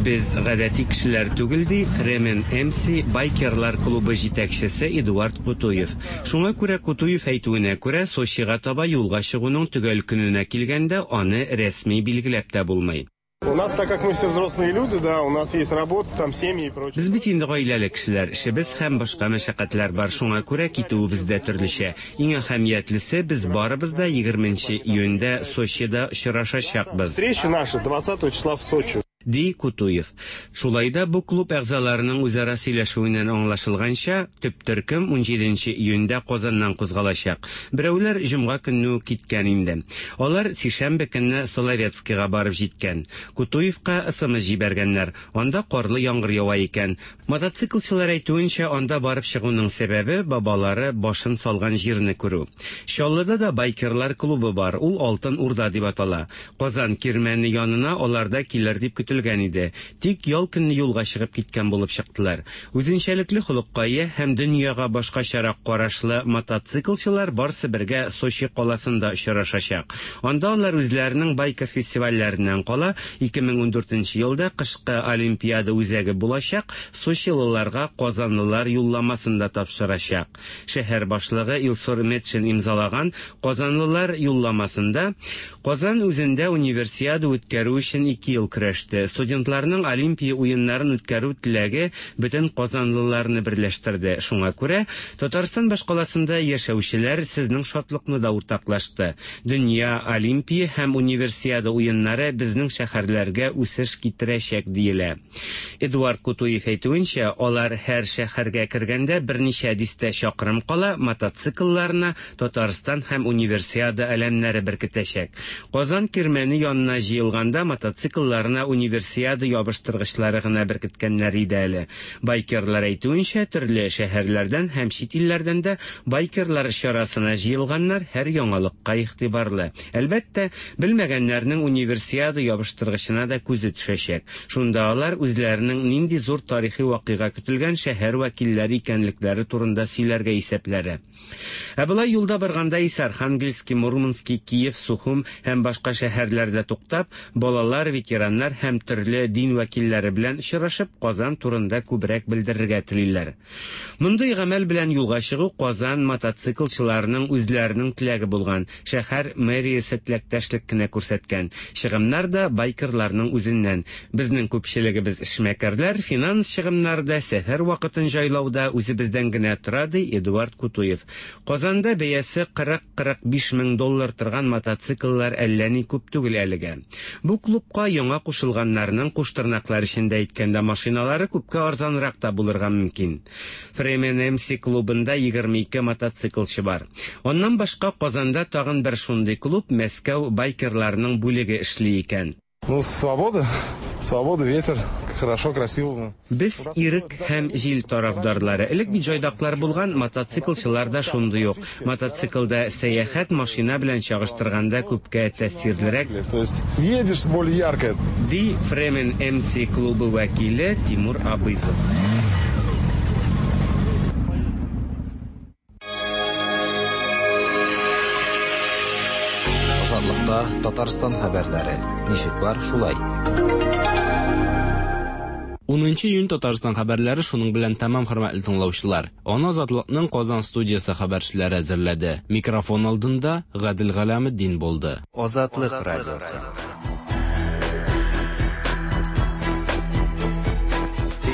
Speaker 23: Без гадәти кешеләр түгел, ди Фремен МС байкерлар клубы җитәкчесе Эдуард Кутуев. Шуңа күрә Кутуев әйтүенә күрә Сочига таба юлга чыгуның төгәл көненә килгәндә аны рәсми билгеләп тә булмый.
Speaker 25: У нас, так как мы все взрослые люди, да, у нас есть работа, там семьи и прочее.
Speaker 23: Без бит инде гаиләле кешеләр, эшебез һәм башка мәшәкатьләр бар, шуңа күрә китүебез дә төрлечә. Иң әһәмиятлесе, без барыбыз да егерменче июньдә Сочида очрашачакбыз.
Speaker 25: Встреча наша двадцатого числа в Сочи.
Speaker 23: Ди Кутуев. Шулай да бу клуб әгъзаларының үзара сөйләшүеннән аңлашылганча, төп төркем унҗиденче июньдә Казаннан кузгалачак. Берәүләр җомга көнне үк киткән инде. Алар сишәмбе көнне Соловецкийга барып җиткән. Кутуевка СМС җибәргәннәр. Анда карлы яңгыр ява икән. Мотоциклчылар әйтүенчә, анда барып чыгуның сәбәбе бабалары башын салган җирне күрү. Чаллыда да байкерлар клубы бар. Ул Алтын Урда дип атала. Казан кирмәне янына алар да килер дип көтелгән иде. Тик ял көнне юлга чыгып киткән булып чыктылар. Үзенчәлекле холыкка ия һәм дөньяга башкачарак карашлы мотоциклчылар барсы бергә Сочи каласында очрашачак. Анда алар үзләренең байкер фестивальләреннән кала ике мең ундүртенче елда кышкы Олимпиада үзәге булачак Сочилыларга казанлылар юлламасын да тапшырачак. Шәһәр башлыгы Илсур Метшин имзалаган казанлылар юлламасында Казан үзендә универсиада үткәрү өчен ике ел көрәште. Студентларның Олимпия уеннарын үткәрү теләге бөтен казанлыларны берләштерде. Шуңа күрә Татарстан башкаласында яшәүчеләр сезнең шатлыкны да уртаклашты. Дөнья Олимпия һәм универсиада уеннары безнең шәһәрләргә үсеш китерәчәк диелә. Эдуард Кутуев әйтүенчә, алар һәр шәһәргә кергәндә берничә дистә чакрым кала мотоциклларына Татарстан һәм универсиада әләмнәре беркетәчәк. Казан кирмәне янына җыелганда мотоциклларына универсиада ябыштыргычлары гына беркеткәннәр иде әле. Байкерлар әйтүенчә, төрле шәһәрләрдән һәм чит илләрдән дә байкерлар чарасына җыелганнар һәр яңалыкка игътибарлы. Әлбәттә, белмәгәннәрнең универсиада ябыштыргычына да күзе төшәчәк. Шунда алар үзләренең нинди зур тарихи вакыйга көтелгән шәһәр вәкилләре икәнлекләре турында сөйләргә исәпләре. Ә болай юлда барганда исә Архангельский, Мурманский, Киев, Сухум һәм башка шәһәрләрдә туктап, балалар, ветераннар һәм төрле дин вәкилләре белән очрашып, Казан турында күбрәк белдерергә телиләр. Мондый гамәл белән юлга чыгу Казан мотоциклчыларының үзләренең теләге булган. Шәһәр мэриясе теләктәшлек кенә күрсәткән. Чыгымнар да байкерларның үзеннән. Безнең күпчелегебез эшмәкәрләр, финанс чыгымнары да, сәфәр вакытын җайлауда үзебездән генә тора, ди Эдуард Кутуев. Казанда бәясе кырык-кырык биш мең доллар торган мотоцикллар әллә ни күп түгел әлегә. Бу клубка яңа кушылганнар Калганнарының, куштырнаклар эчендә әйткәндә, машиналары күпкә арзанрак та булырга мөмкин. Фремен М С клубында егерме ике мотоциклчы бар. Аннан башка Казанда тагын бер шундый клуб, Мәскәү байкерларының бүлеге эшли икән.
Speaker 25: Ну, свобода, свобода, ветер, хорошо, красиво.
Speaker 23: Без ирек һәм җил тарафдарлары. Элек бит җайдаклар булган, мотоциклчылар да шундый ук. Мотоциклда сәяхәт машина белән чагыштырганда күпкә тәэсирлерәк.
Speaker 25: То есть едешь более ярко.
Speaker 23: Ди Фремен М С клубы вәкиле Тимур Абызов.
Speaker 3: Азатлыкта Татарстан хәбәрләре. Ничек бар, шулай.
Speaker 12: Унынчы июнь Татарстан хәбәрләре шуның белән тәмам, хөрмәтле тыңлаучылар. Аны Азатлыкның Казан студиясе хәбәрчеләре әзерләде. Микрофон алдында Гадел Галәметдин булды.
Speaker 1: Азатлык радиосы.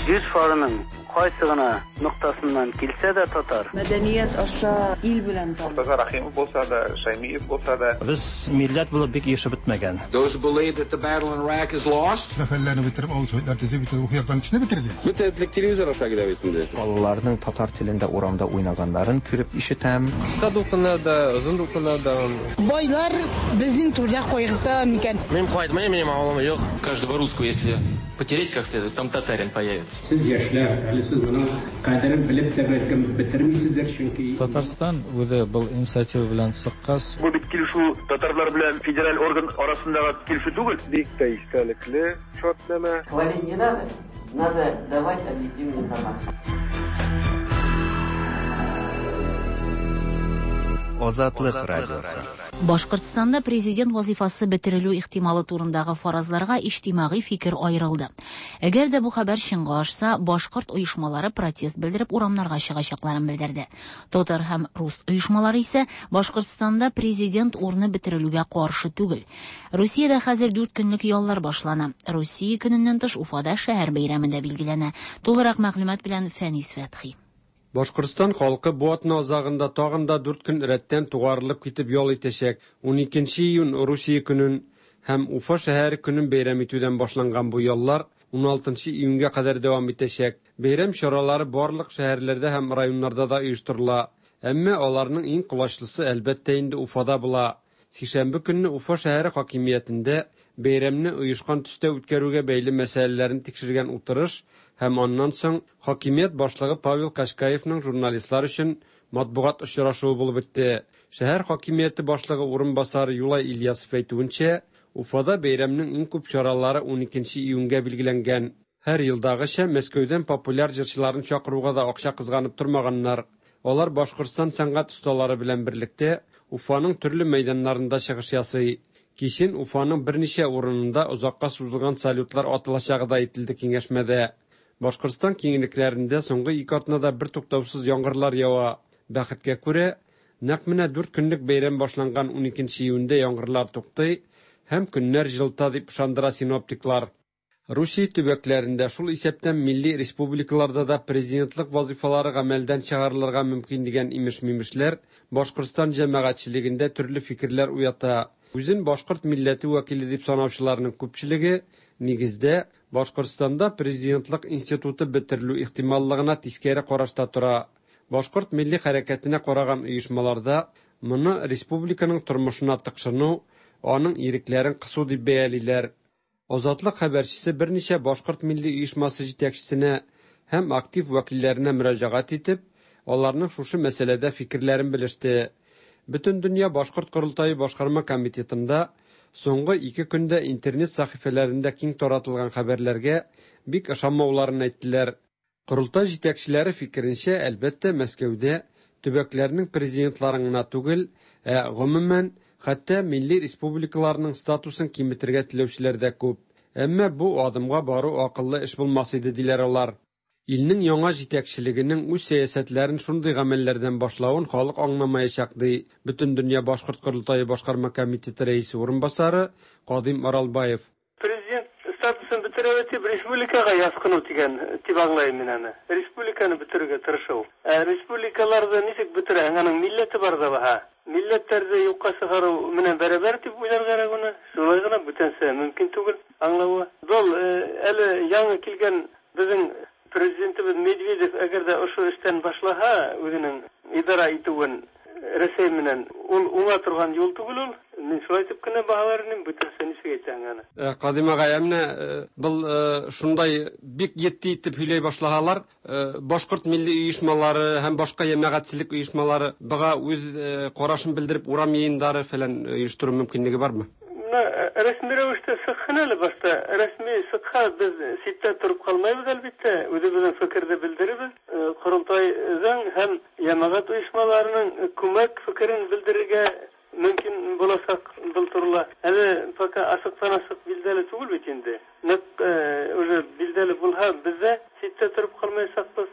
Speaker 4: Җир шарының кайсы гына ноктасыннан килсә дә татар.
Speaker 8: Мәдәният аша ил белән тану.
Speaker 9: Мортаза Рахимов булса да, Шаймиев булса да.
Speaker 10: Без милләт булып бик ирешеп бетмәгән.
Speaker 26: Those who believe that the battle in Iraq is lost.
Speaker 15: Зафәрләрне бетереп, авыл советлар төзеп, бит рухи яктан кешене бетерде.
Speaker 27: Бөтен телевизор аша килә бит инде.
Speaker 28: Балаларның татар телендә урамда уйнаганнарын күреп ишетәм.
Speaker 5: Кыска дулкыннар да, озын дулкыннар да.
Speaker 29: Байлар безнең түрдә кайгырта микән?
Speaker 22: Мин кайтмыйм, минем авылым юк.
Speaker 30: Каждого русского, если потереть как следует, там татарин появится.
Speaker 31: Сез яшьләр, әле сез моның кадерен белеп тә бәлкем бетермисездер, чөнки
Speaker 32: Татарстан үзе был инициатива белән чыккач,
Speaker 33: Бу бит килешү татарлар белән федераль орган арасындагы килешү түгел.
Speaker 11: Бик тә истәлекле шартнамә.
Speaker 34: Хвалить не надо, надо давать объективную информацию.
Speaker 1: Азатлык радиосы.
Speaker 2: Башкортстанда президент вазифасы бетерелү ихтималы турындагы фаразларга иҗтимагый фикер аерылды. Әгәр дә бу хәбәр чынга ашса, башкорт оешмалары протест белдереп урамнарга чыгачакларын белдерде. Татар һәм рус оешмалары исә Башкортстанда президент урыны бетерелүгә каршы түгел. Русиядә хәзер дүрт көнлек яллар башлана. Русия көненнән тыш Уфада шәһәр бәйрәме дә билгеләнә. Тулырак мәгълүмат белән Фәнис Фәтхи.
Speaker 35: Башкортстан халкы бу атна азагында тагын да дүрт көн рәттән тугарылып китеп ял итәчәк. Уникенче июнь Русия көнен һәм Уфа шәһәре көнен бәйрәм итүдән башланган бу яллар уналтынчы июньгә кадәр дәвам итәчәк. Бәйрәм чаралары барлык шәһәрләрдә һәм районнарда да оештырыла. Әмма аларның иң колачлысы әлбәттә инде Уфада була. Сишәмбе көнне Уфа шәһәре хакимиятендә бәйрәмне оешкан төстә үткәрүгә бәйле мәсьәләләрен тикшергән утырыш һәм аннан соң хакимият башлыгы Павел Кашкаевның журналистлар өчен матбугат очрашуы булып үтте. Шәһәр хакимияте башлыгы урынбасары Юлай Ильясов әйтүенчә, Уфада бәйрәмнең иң күп чаралары уникенче июньгә билгеләнгән. Һәр елдагыча Мәскәүдән популяр җырчыларын чакыруга да акча кызганып тормаганнар. Алар Башкортстан сәнгать осталары белән берлектә Уфаның төрле мәйданнарында чыгыш ясый. Кичен Уфаның берничә урынында озакка сузылган салютлар атылачагы да әйтелде киңәшмәдә. Башкортстан киңлекләрендә соңгы ике атнада бер туктаусыз яңгырлар ява. Бәхеткә күрә, нәкъ менә дүрт көнлек бәйрәм башланган уникенче июньдә яңгырлар туктый һәм көннәр җылыта дип ышандыра синоптиклар. Русия төбәкләрендә, шул исәптән милли республикаларда да президентлык вазифалары гамәлдән чыгарылырга мөмкин дигән имеш-мимешләр Башкортстан җәмәгатьчелегендә төрле фикерләр уята. Үзен башкорт милләте вәкиле дип санаучыларның күпчелеге нигездә Башкортстанда президентлык институты бетерелү ихтималлыгына тискәре карашта тора. Башкорт милли хәрәкәтенә караган оешмаларда моны республиканың тормышына тыкшыну, аның ирекләрен кысу дип бәялиләр. Азатлык хәбәрчесе берничә башкорт милли оешмасы җитәкчесенә һәм актив вәкилләренә мөрәҗәгать итеп, аларның шушы мәсьәләдә фикерләрен белеште. Бөтендөнья Башкорт Корылтае башкарма комитетында соңгы ике көндә интернет сәхифәләрендә киң таратылган хәбәрләргә бик ышанмауларын әйттеләр. Корылтай җитәкчеләре фикеренчә, әлбәттә, Мәскәүдә төбәкләрнең президентларын гына түгел, ә гомумән, хәтта милли республикаларның статусын киметергә теләүчеләр дә күп. Әмма бу адымга бару акыллы эш булмас иде, диләр алар. Илнең яңа җитәкчелегенең үз сәясәтләрен шундый гамәлләрдән башлавын халык аңламаячак, ди Бөтендөнья Башкорт Корылтае башкарма комитеты рәисе урынбасары Кадим Аралбаев.
Speaker 33: Президент статусы
Speaker 4: Башкортын бетерәбез дип республикага яскыну дигән дип аңлыйм мин аны. Республиканы бетерергә тырышу. Ә республикаларда ничек бетерә? Аның милләте бар да баһа. Милләтләрне юкка чыгару менән бәрабәр дип уйларга кирәк аны. Шулай гына бүтәнсә мөмкин түгел аңлавы. Был әле яңа килгән безнең президентыбыз Медведев әгәр дә ошо эштән башлаһа, үзенең идара итүен Рәсәй менән ул уңа торган юл түгел ул. Мин шулай итеп кенә баһалар идем, бүтәнсә ничек әйтәң аны.
Speaker 35: Кадим агай, ә менә был шундай бик етди итеп һөйләй башлаһалар, башкорт милли оешмалары һәм башка җәмәгатьчелек оешмалары быга үз карашын белдереп урам йыйыннары фәлән оештыру мөмкинлеге бармы?
Speaker 4: Рәсми рәвештә сыкхын әле башта. Рәсми сыкха без ситтә торып калмайбыз әлбәттә. Үзебезнең фикерне белдеребез. Корылтайдан һәм җәмәгать оешмаларының күмәк фикерен белдерергә мөмкин булачак был турыла. Әле пока асыктан асык билдәле түгел бит инде. Нык уже билдәле булһа, без дә ситтә торып калмаячакбыз.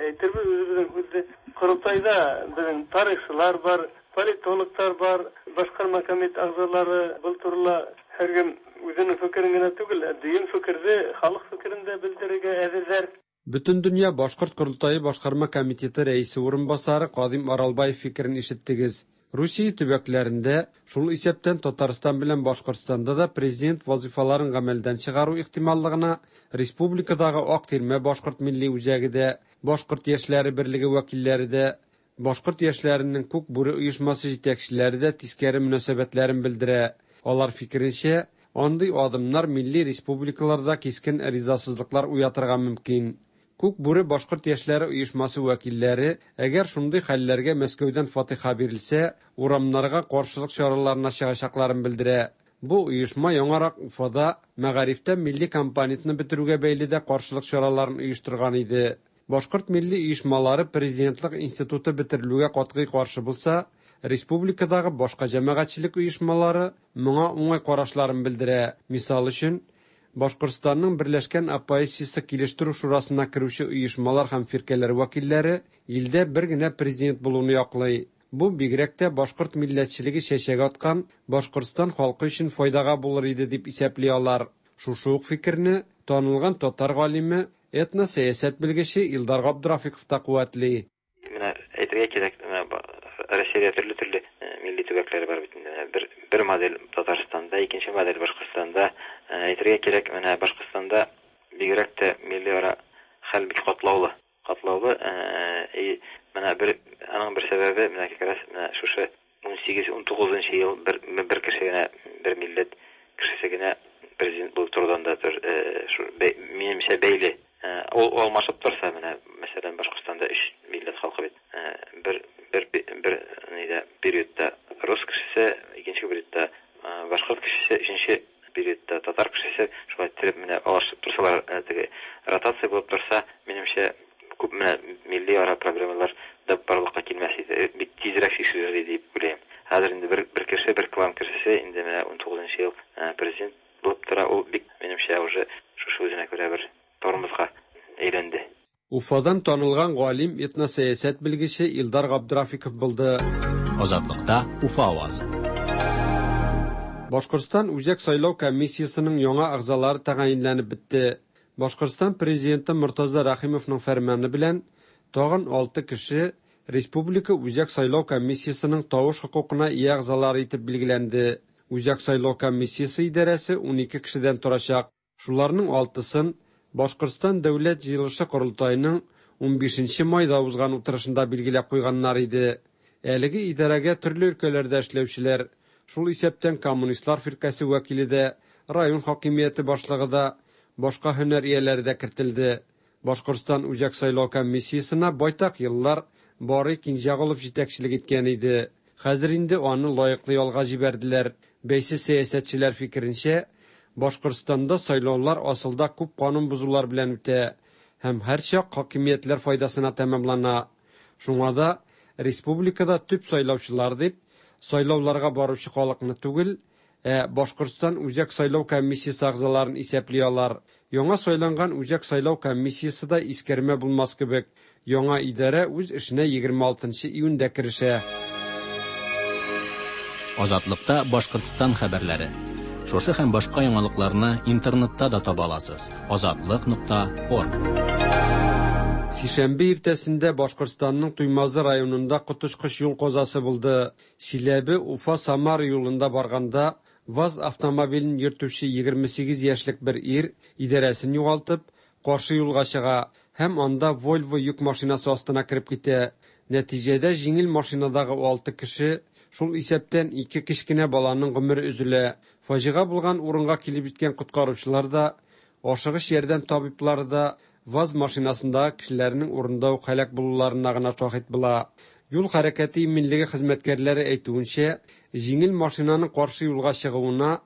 Speaker 4: Әйтербез үзебезнең һүзне. Корылтайда безнең тарихчылар бар, политологтар бар, башкарма комитет әгъзалары был турыла һәркем үзенең фикерен генә түгел, ә дөйөм фикерне, халык фикерен дә белдерергә әзерләр.
Speaker 35: Бөтендөнья Башкорт Корылтайы башкарма комитеты рәисе урынбасары Кадим Аралбаев фикерен ишеттегез. Русия төбәкләрендә, шул исәптән Татарстан белән Башкортстанда да президент вазифаларын гамәлдән чыгару ихтималлыгына республикадагы Ак тирмә Башкорт милли үзәге дә, Башкорт яшьләре берлеге вәкилләре дә, Башкорт яшьләренең Күк бүре оешмасы җитәкчеләре дә тискәре мөнәсәбәтләрен белдерә. Алар фикеренчә, андый адымнар милли республикаларда кискен ризасызлыклар уятырга мөмкин. Күк бүре Башкорт яшьләре оешмасы вәкилләре, әгәр шундый хәлләргә Мәскәүдән фатиха бирелсә, урамнарга каршылык чараларына чыгачакларын белдерә. Бу оешма яңарак Уфада мәгарифтә милли компонентны бетерүгә бәйле дә каршылык чараларын оештырган иде. Башкорт милли оешмалары президентлык институты бетерелүгә катгый каршы булса, республикадагы башка җәмәгатьчелек оешмалары моңа уңай карашларын белдерә. Мисал өчен, Башкортстанның Берләшкән оппозициясе килештерү шурасына керүче оешмалар һәм фиркәләр вәкилләре илдә бер генә президент булуны яклый. Бу бигрәк тә башкорт милләтчелеге чәчәк аткан Башкортстан халкы өчен файдага булыр иде дип исәпли алар. Шушы ук фикерне танылган татар галиме, этносәясәт белгече Илдар Габдрафиков та куәтли.
Speaker 3: Менә әйтергә кирәк, менә Россиядә төрле-төрле милли төбәкләр бар бит инде. Бер бер модель Татарстанда, икенче модель Башкортстанда. Әйтергә кирәк, менә Башкортстанда бигрәк тә милли ара хәл бик катлаулы. Катлаулы, и менә бер аның бер сәбәбе менә как раз менә шушы ун сигез ун тугызынчы ел бер бер кеше генә, бер милләт кешесе генә президент булып торудан да тор, минемчә бәйле. Ул алмашып торса, менә мәсәлән Башкортстанда өч милләт халкы бит. Бер бер бер нидә периодта рус кешесе, икенче периодта башкорт кешесе, өченче периодта татар кешесе, шулай итеп менә алышып торсалар, теге ротация булып торса, минемчә күп менә милли ара проблемалар да барлыкка килмәс иде, бик тизрәк чишелер иде дип уйлыйм. Хәзер инде бер бер кеше, бер клан кешесе инде менә ун тугызынчы ел президент булып тора, ул бик минемчә уже шушы үзенә күрә бер тормозга әйләнде.
Speaker 35: Уфадан танылган галим, этносәясәт белгече Илдар Габдрафиков булды.
Speaker 1: Азатлыкта Уфа авазы.
Speaker 35: Башкортстан Үзәк сайлау комиссиясенең яңа әгъзалары тәгаенләнеп бетте. Башкортстан президенты Мортаза Рәхимовның фәрманы белән тагын алты кеше Республика Үзәк сайлау комиссиясенең тавыш хокукына ия әгъзалары итеп билгеләнде. Үзәк сайлау комиссиясе идарәсе ун ике кешедән торачак. Шуларның алтысын Башкортстан Дәүләт җыелышы корылтаеның ун бишенче майда узган утырышында билгеләп куйганнар иде. Әлеге идарәгә төрле өлкәләрдә эшләүчеләр, шул исәптән коммунистлар фиркәсе вәкиле дә, район хакимияте башлыгы да, башка һөнәр ияләре дә кертелде. Башкортстан Үзәк сайлау комиссиясенә байтак еллар Барый Кинҗәгулов җитәкчелек иткән иде. Хәзер инде аны лаеклы ялга җибәрделәр. Бәйсез сәясәтчеләр фикеренчә, Башкортстанда сайлаулар асылда күп канун бозулар белән үтә һәм һәрчак хакимиятләр файдасына тәмамлана. Шуңа да республикада төп сайлаучылар дип сайлауларга баручы халыкны түгел, ә Башкортстан Үзәк сайлау комиссиясе әгъзаларын исәпли алар. Яңа сайланган Үзәк сайлау комиссиясе дә искәрмә булмас кебек. Яңа идарә үз эшенә егерме алтынчы июньдә керешә.
Speaker 1: Азатлыкта Башкортстан хәбәрләре. Шушы һәм башка яңалыкларны интернетта да таба аласыз. Азатлык нокта орг.
Speaker 35: Сишәмбе иртәсендә Башкортстанның Туймазы районында коточкыч юл казасы булды. Чиләбе Уфа Самара юлында барганда ВАЗ автомобилен йөртүче егерме сигез яшьлек бер ир идарәсен югалтып, каршы юлга чыга һәм анда Volvo йөк машинасы астына кереп китә. Нәтиҗәдә җиңел машинадагы алты кеше, шул исәптән ике кечкенә баланың гомере өзелә. Фаҗига булган урынга килеп җиткән коткаручылар да, ашыгыч ярдәм табиблары да ВАЗ машинасындагы кешеләрнең урында ук һәлак булуларына гына шаһит була. Юл хәрәкәте иминлеге хезмәткәрләре әйтүенчә, җиңел машинаның каршы юлга чыгуына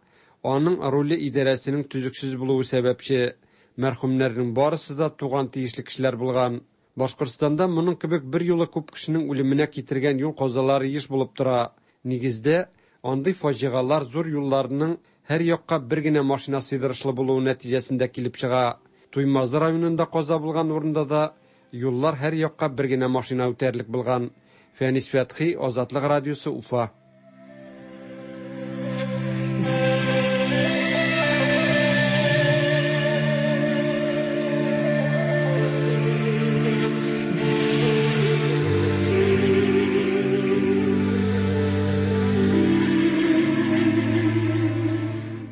Speaker 35: аның руле идарәсенең төзексез булуы сәбәпче. Мәрхүмнәрнең барысы да туган тиешле кешеләр булган. Башкортстанда моның кебек бер юлы күп кешенең үлеменә китергән юл казалары еш булып тора. Нигездә, андый фаҗигалар зур юлларның һәр якка бер генә машина сыйдырышлы булуы нәтиҗәсендә килеп чыга. Туймазы районында каза булган урында да юллар һәр якка бер генә машина үтәрлек булган. Фәнис Фәтхи, Азатлык радиосы, Уфа.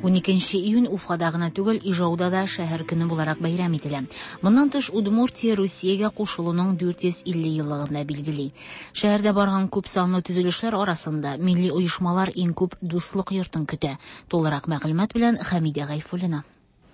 Speaker 2: Уникенче июнь Уфада гына түгел, Ижауда да шәһәр көне буларак бәйрәм ителә. Моннан тыш Удмуртия Русиягә кушылуның дүрт йөз илле еллыгын да билгели. Шәһәрдә барган күп санлы төзелешләр арасында милли оешмалар иң күп дуслык йортын көтә. Тулырак мәгълүмат белән Хәмидә Гайфуллина.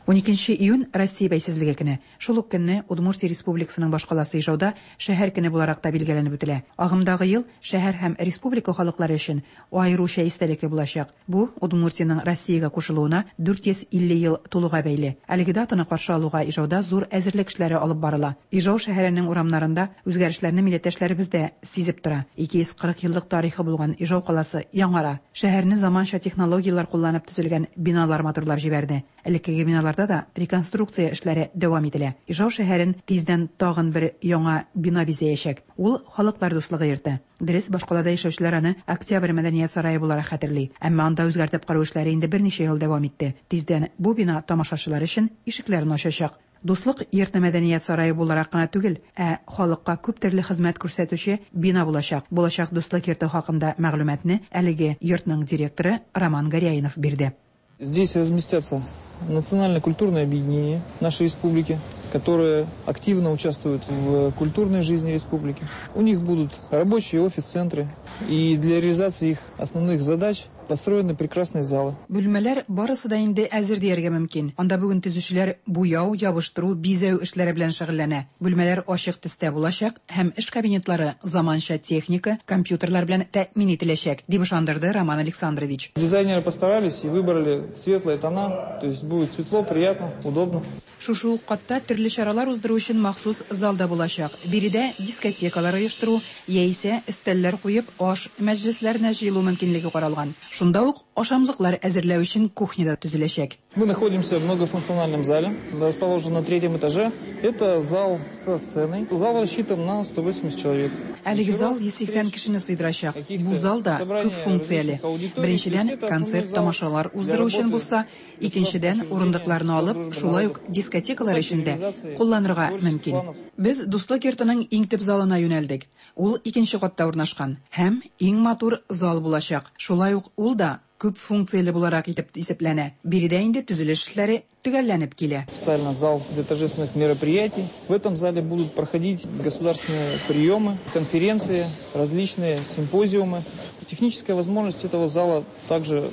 Speaker 6: Уникенче июнь Россия бәйсезлеге көне. Шул ук көнне Удмуртия Республикасының башкаласы Ижауда шәһәр көне буларак та билгеләнеп үтелә. Агымдагы ел шәһәр һәм республика халыклары өчен аеруча истәлекле булачак. Бу Удмуртиянең Россиягә кушылуына дүрт йөз илле ел тулуга бәйле. Әлеге датаны каршы алуга Ижауда зур әзерлек эшләре алып барыла. Ижау шәһәренең урамнарында үзгәрешләрне милләттәшләребез дә сизеп тора. Ике йөз кырык еллык тарихы булган Ижау каласы яңара. Шәһәрне заманча технологияләр кулланып төзелгән биналар матурлап җибәрде. Элеккеге биналарда да реконструкция эшләре дәвам ителә. Ижау шәһәрен тиздән тагын бер яңа бина бизәячәк. Ул Халыклар дуслыгы йорты. Дөрес, башкалада яшәүчеләр аны Октябрь мәдәният сарае буларак хәтерли. Әмма анда үзгәртеп кору эшләре инде берничә ел дәвам итте. Тиздән бу бина тамашачылар өчен ишекләрен ачачак. Дуслык йорты мәдәният сарае буларак кына түгел, ә халыкка күп төрле хезмәт күрсәтүче бина булачак. Булачак дуслык йорты хакында мәгълүматны әлеге йортның директоры Роман Горяинов бирде.
Speaker 7: Здесь разместятся национально-культурное объединение нашей республики, которые активно участвуют в культурной жизни республики. У них будут рабочие офис-центры, и для реализации их основных задач построены прекрасные залы.
Speaker 6: Бүлмәләр барысы да инде әзер дияргә мөмкин. Анда бүген төзүчеләр буяу, ябыштыру, бизәү эшләре белән шөгыльләнә. Бүлмәләр ачык төстә булачак һәм эш кабинетлары заманча техника, компьютерлар белән тәэмин ителәчәк, дип ышандырды Роман Александрович.
Speaker 7: Дизайнеры постарались и выбрали светлые тона, то есть будет светло, приятно, удобно.
Speaker 6: Шушы ук катта төрле чаралар уздыру өчен махсус залда булачак. Биредә дискотекалар оештыру, яисә өстәлләр куеп аш мәҗлесләренә җыелу мөмкинлеге каралган. Шунда ук ашамлыклар әзерләү өчен кухня да төзеләчәк.
Speaker 7: Мы находимся в многофункциональном зале, расположен на третьем этаже. Это зал со сценой. Зал рассчитан на сто восемьдесят человек.
Speaker 6: Әлеге зал йөз сиксән кешене сыйдырачак. Бу зал да күп функцияле. Беренчедән, концерт тамашалар уздыру өчен булса, икенчедән, урындыкларны алып, шулай ук дискотекалар өчен дә кулланырга мөмкин. Без Дуслык йортының иң төп залына юнәлдек. Ул икенче катта урнашкан һәм иң матур зал булачак. Шулай ук ул да күп функцияле буларак итеп исәпләнә. Биредә инде төзелеш эшләре төгәлләнеп килә.
Speaker 7: Специально зал для торжественных мероприятий. В этом зале будут проходить государственные приемы, конференции, различные симпозиумы. Техническая возможность этого зала также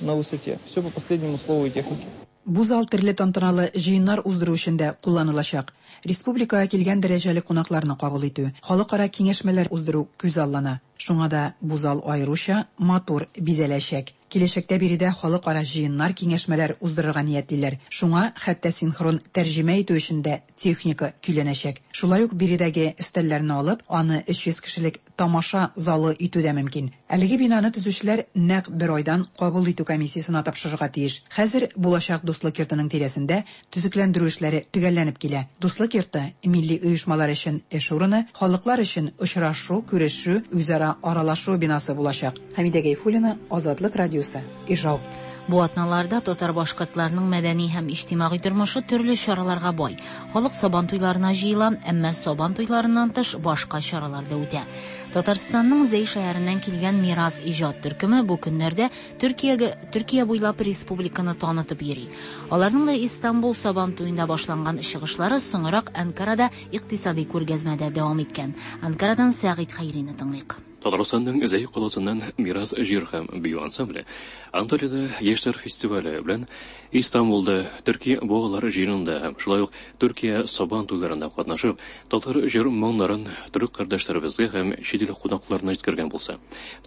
Speaker 7: на высоте. Все по последнему слову и технике.
Speaker 6: Бу зал төрле тантаналы җыеннар уздыру өчен дә кулланылачак. Республикага килгән дәрәҗәле кунакларны кабул итү, халыкара киңәшмәләр уздыру күз аллана. Шуңа да бу зал аеруча матур бизәләчәк. Киләчәктә биредә халыкара җыеннар, киңәшмәләр уздырырга ниятлиләр. Шуңа хәтта синхрон тәрҗемә итү өчен дә техника көйләнәчәк. Шулай ук биредәге өстәлләрне алып, аны өч йөз кешелек тамаша залы итү дә мөмкин. Әлеге бинаны төзүчеләр нәкъ бер айдан кабул итү комиссиясенә тапшырырга тиеш. Хәзер булачак Дуслык йортының тирәсендә төзекләндерү эшләре төгәлләнеп килә. Дуслык йорты милли оешмалар өчен эш урыны, халыклар өчен очрашу, күрешү, үзара аралашу бинасы булачак. Хәмидә Гайфуллина, Азатлык радиосы, Ижау.
Speaker 2: Бу атналарда татар-башкортларның мәдәни һәм иҗтимагый тормышы төрле чараларга бай. Халык Сабан туйларына җыела, әмма Сабан туйларыннан тыш башка чаралар да үтә. Татарстанның Зәй шәһәреннән килгән Мирас иҗат төркеме бу көннәрдә Төркиягә Төркия буйлап республиканы танытып йөри. Аларның да Истанбул Сабан туенда башланган чыгышлары соңрак Анкарада икътисади күргәзмәдә дәвам иткән. Анкарадан Сәгыйть Хәйрине тыңлыйк.
Speaker 8: Татарстанның Зәй каласыннан Мирас җыр һәм бию ансамбле Анталиядә яшьләр фестивале белән Истанбулда Төркия балалар җыенында һәм шулай ук Төркия Сабан туйларында катнашып, татар җыр моңнарын төрек кардәшләребезгә һәм чит ил кунакларына җиткергән булса,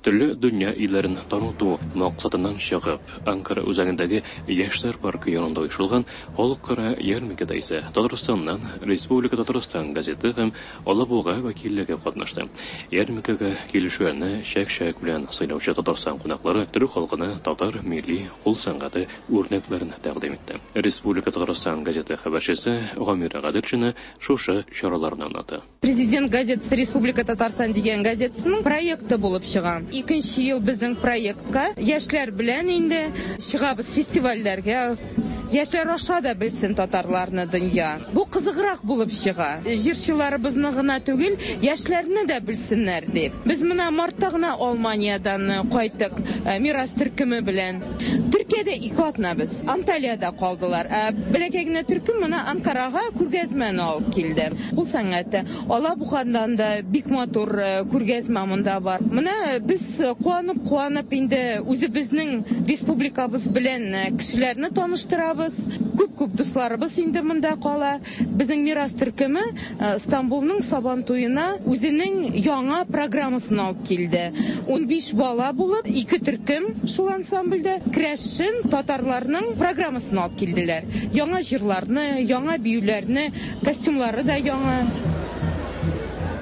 Speaker 8: төрле дөнья илләрен таныту максатыннан чыгып, Анкара үзәгендәге яшьләр паркы янында оешылган халыкара ярминкәдә исә Татарстаннан Республика Татарстан газеты һәм Алабуга вәкиллеге катнашты. Ярминкәгә килүчеләрне чәк-чәк белән сыйлаучы Татарстан кунаклары төрек халкына татар милли кул сәнгате үрнәкләрен тәкъдим итте. Республика Татарстан газеты хәбәрчесе Гамира Гаделшина шушы чараларны аңлата.
Speaker 9: Президент газетасы Республика Татарстан дигән газетасының проекты булып чыга. Икенче ел безнең проектка яшьләр белән инде чыгабыз фестивальләргә. Яшьләр аша да белсен татарларны дөнья. Бу кызыграк булып чыга. Җырчыларыбызны гына түгел, яшьләрне дә белсеннәр дип. Без менә мартта гына Алманиядан кайттык Мирас төркеме белән. Төркиядә ике атна без. Анталиядә калдылар. Ә бәләкәй генә төркем менә Анкарага күргәзмәне алып килде. Кул сәнгате. Алабугадан да бик матур күргәзмә монда бар. Менә без куанып-куанып инде үзебезнең республикабыз белән кешеләрне таныштырабыз. Күп-күп дусларыбыз инде монда кала. Безнең Мирас төркеме Истанбулның Сабан туена үзенең яңа программасын алып килде. Унбиш бала булып, ике төркем шул ансамбльдә керәшен татарларның программасын алып килделәр. Яңа җырларны, яңа биюләрне, костюмлары да яңа.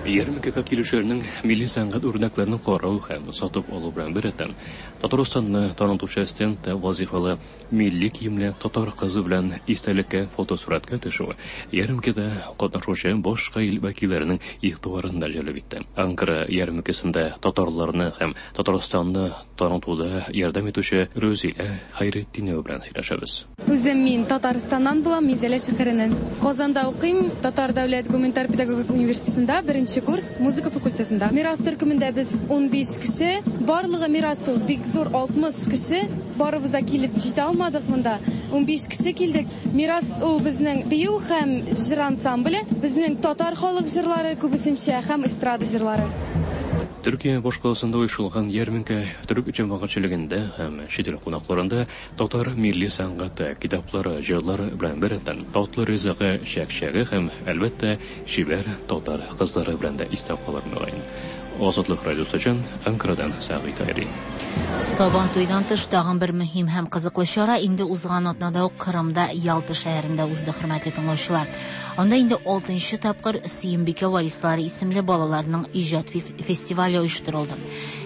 Speaker 8: Ярминкәгә килүчеләрнең милли сәнгать үрнәкләрен карау һәм сатып алу белән беррәттән Татарстанны танытучы стендта вазифалы милли киемле татар кызы белән истәлеккә фотосурәткә төшү ярминкәдә катнашучы башка ил вәкилләренең игътибарын да җәлеп итте. Анкара ярминкәсендә татарларны һәм Татарстанны танытуда ярдәм итүче Рүзилә Хәйретдинова белән сөйләшәбез.
Speaker 10: Үзем мин Татарстаннан булам, Минзәлә шәһәреннән. Казанда укыйм, Татар дәүләт гуманитар педагогик университетында беренче курс музыка факультетында. Мирас төркемендә без унбиш кеше, барлыгы Мирас ул бик зур алтмыш кеше, барыбыз да килеп җитә алмадык монда. Унбиш кеше килдек. Мирас ул безнең бию һәм җыр ансамбле, безнең татар халык җырлары күбесенчә һәм эстрада җырлары.
Speaker 8: Төркия башкаласында оешылган ярминкә төрек җәмәгатьчелегендә һәм чит ил кунакларында татар милли сәнгате, китаплары, җырлары белән беррәттән татлы ризыгы, чәк-чәге һәм, әлбәттә, чибәр татар кызлары белән дә истә калыр мөгаен. Азатлык радиосы өчен Анкарадан Сәгыйть Хәйри.
Speaker 2: Сабан туйдан тыш тагын бер мөһим һәм кызыклы чара инде узган атнада ук Кырымда Ялта шәһәрендә узды, хөрмәтле тыңлаучылар. Анда инде алтынчы тапкыр Сөембикә варислары исемле балаларның иҗат фестивале оештырылды.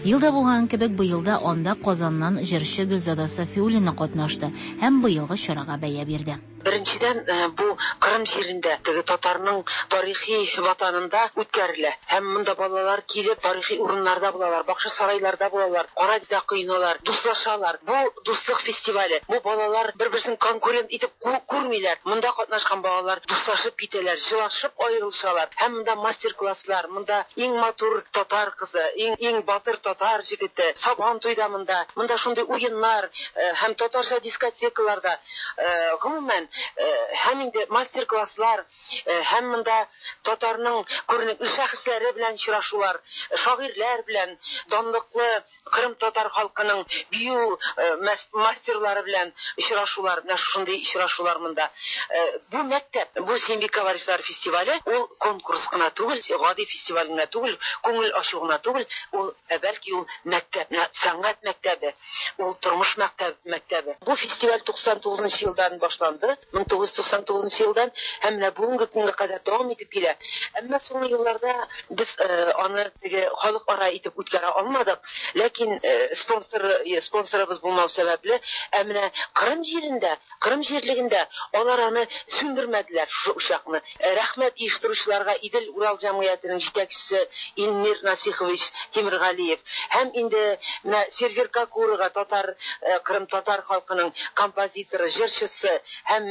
Speaker 2: Елда булган кебек быел да анда Казаннан җырчы Гөлзада Сафиуллина катнашты һәм быелгы чарага бәя бирде.
Speaker 12: Беренчедән, бу Кырым җирендә, теге татарның тарихи ватанында үткәрелә. Һәм монда балалар килеп тарихи урыннарда булалар, бакча сарайларда булалар, кара дә коеналар, дуслашалар. Бу дуслык фестивале. Бу балалар бер-берсен конкурент итеп күрмиләр. Монда катнашкан балалар дуслашып китәләр, җылашып аерылышалар. Һәм монда мастер-класслар, монда иң матур татар кызы, иң иң батыр татар җегете, Сабан туйда монда. Монда шундый уеннар һәм татарча дискотекаларда, гомумән һәм инде мастер-класслар, һәм монда татарның күренекле шәхесләре белән очрашулар, шагыйрьләр белән, данлыклы Кырым татар халкының бию мастерлары белән очрашулар, менә шундый очрашулар монда. Бу мәктәп, бу Сөембикә варислары фестивале, ул конкурс кына түгел, гади фестиваль генә түгел, күңел ачу гына түгел, ул бәлки ул мәктәп, сәнгать мәктәбе, ул тормыш мәктәбе. Бу фестиваль туксан тугызынчы елдан башланды. мең тугыз йөз туксан тугызынчы елдан һәм менә бүгенге көнгә кадәр дәвам итеп килә. Әмма соңгы елларда без аны теге халыкара итеп үткәрә алмадык. Ләкин спонсор спонсорыбыз булмау сәбәпле, ә менә Кырым җирендә, Кырым җирлегендә алар аны сүндермәделәр шушы учакны. Рәхмәт оештыручыларга, Идел Урал җәмгыятенең җитәкчесе Илмир Насихович Тимиргалиев һәм инде менә Сервер Кокурова, татар Кырым татар халкының композиторы, җырчысы һәм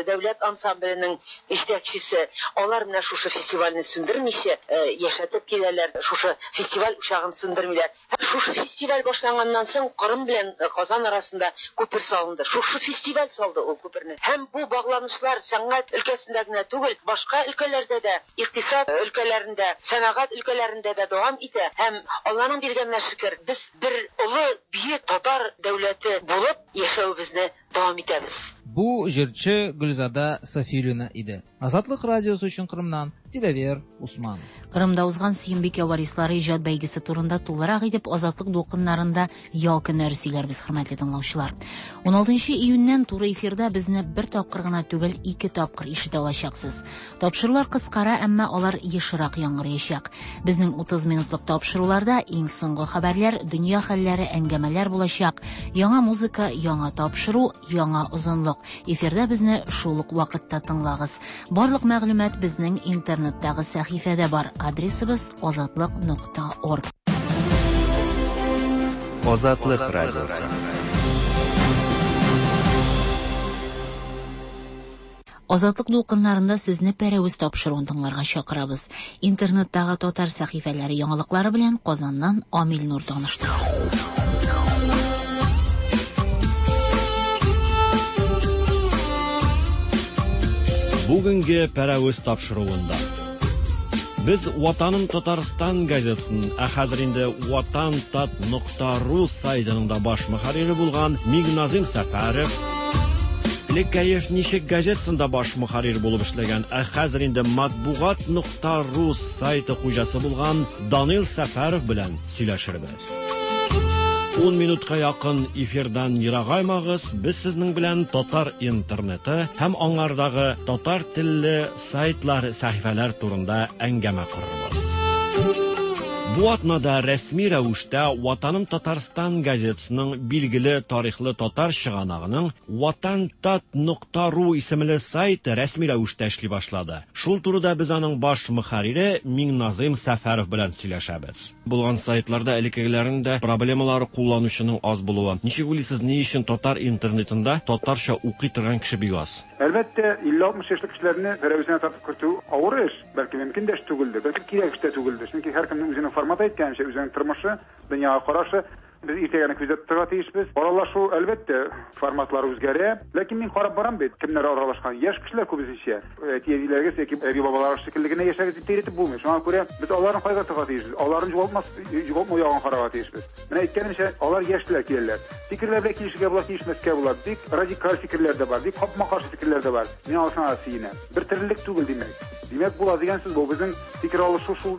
Speaker 12: дәүләт ансамбленең җитәкчесе, алар менә шушы фестивальне сүндермичә яшәтеп киләләр, шушы фестиваль учагын сүндермиләр. Һәм шушы фестиваль башланганнан соң Кырым белән Казан арасында күпер салынды. Шушы фестиваль салды ул күперне. Һәм бу багланышлар сәнгать өлкәсендә генә түгел, башка өлкәләрдә дә, икътисад өлкәләрендә, сәнәгать өлкәләрендә дә дәвам итә. Һәм Алланың биргәненә шөкер, без бер олы бөек татар дәүләте булып яшәвебезне дәвам итәбез.
Speaker 13: Бу җырчы Гөлзада Сафиуллина иде. Азатлык радиосы өчен Кырымнан Диләвер Усманов.
Speaker 2: Кырымда узган Сөембикә варислары иҗат бәйгесе турында тулырак итеп Азатлык дулкыннарында ял көннәре сөйләрбез, хөрмәтле тыңлаучылар. ун алтынчы июньнән туры эфирда безне бер тапкыр гына түгел, ике тапкыр ишетә алачаксыз. Тапшырулар кыскара, әмма алар ешрак яңгыраячак. Безнең утыз минутлык тапшыруларда иң соңгы хәбәрләр, дөнья хәлләре, әңгәмәләр булачак. Яңа музыка, яңа тапшыру, яңа озынлык. Эфирда безне шул ук вакытта тыңлагыз. Барлык мәгълүмат безнең интернеттагы сәхифәдә бар. Адресыбыз азатлык нокта орг.
Speaker 14: Азатлык радиосы.
Speaker 2: Азатлык дулкыннарында сезне Пәрәвез тапшыруын тыңларга чакырабыз. Интернеттагы татар сәхифәләре яңалыклары белән Казаннан Амил Нур таныштыра.
Speaker 15: Бүгенге Пәрәвез тапшыруында без Ватаным Татарстан газетасын, ә хәзер инде ватантат нокта ру сайтының да баш мөхәррире булган Миңназим Сәфәров, элек Кәеф ничек газетасында баш мөхәррир булып эшләгән, ә хәзер инде матбугат нокта ру сайты хуҗасы булган Данил Сәфәров белән сөйләшербез. ун минутка якын эфирдан ерагаймагыз, без сезнең белән татар интернеты һәм аңардагы татар телле сайтлар, сәхифәләр турында әңгәмә корырбыз. Бу атнада рәсми рәвештә Ватаным Татарстан газетасының билгеле тарихлы татар чыганагының ватантат нокта ру исемле сайты рәсми рәвештә эшли башлады. Шул турыда без аның баш мөхәррире Миңназим Сәфәров белән сөйләшәбез. Булган сайтларда элеккегеләрнең дә проблемалары кулланучының аз булуы. Ничек уйлыйсыз, ни өчен татар интернетында татарча укый торган кеше бик аз?
Speaker 16: Әлбәттә, илле алтмыш яшьлек кешеләрне Пәрәвезенә тартып кертү авыр эш, бәлки мөмкин дә эш түгелдер, бәлки кирәк эш тә түгелдер. Чөнки һәркемнең үзенең форматы әйткәнчә, үзенең тормышы, дөньяга карашы. Без иртәгәне күзәтеп торырга тиешбез. Аралашу, әлбәттә, форматлары үзгәрә. Ләкин мин карап барам бит, кемнәр аралашкан? Яшь кешеләр күбесенчә. Әти-әниләрегез яки әби-бабаларыгыз шикелле генә яшәгез дип әйтеп булмый. Шуңа күрә без аларны кайгыртырга тиешбез. Аларны югалтмас, югалтмау ягын карарга тиешбез. Менә әйткәнемчә, алар яшьләр киләләр. Фикерләр белән килешергә була, килешмәскә була. Бик радикаль фикерләр дә бар, бик капма-каршы фикерләр дә бар. Мин аларга сөенәм. Бер төрлелек түгел, димәк. Димәк, була дигән сүз бу. Безнең фикер алышу шул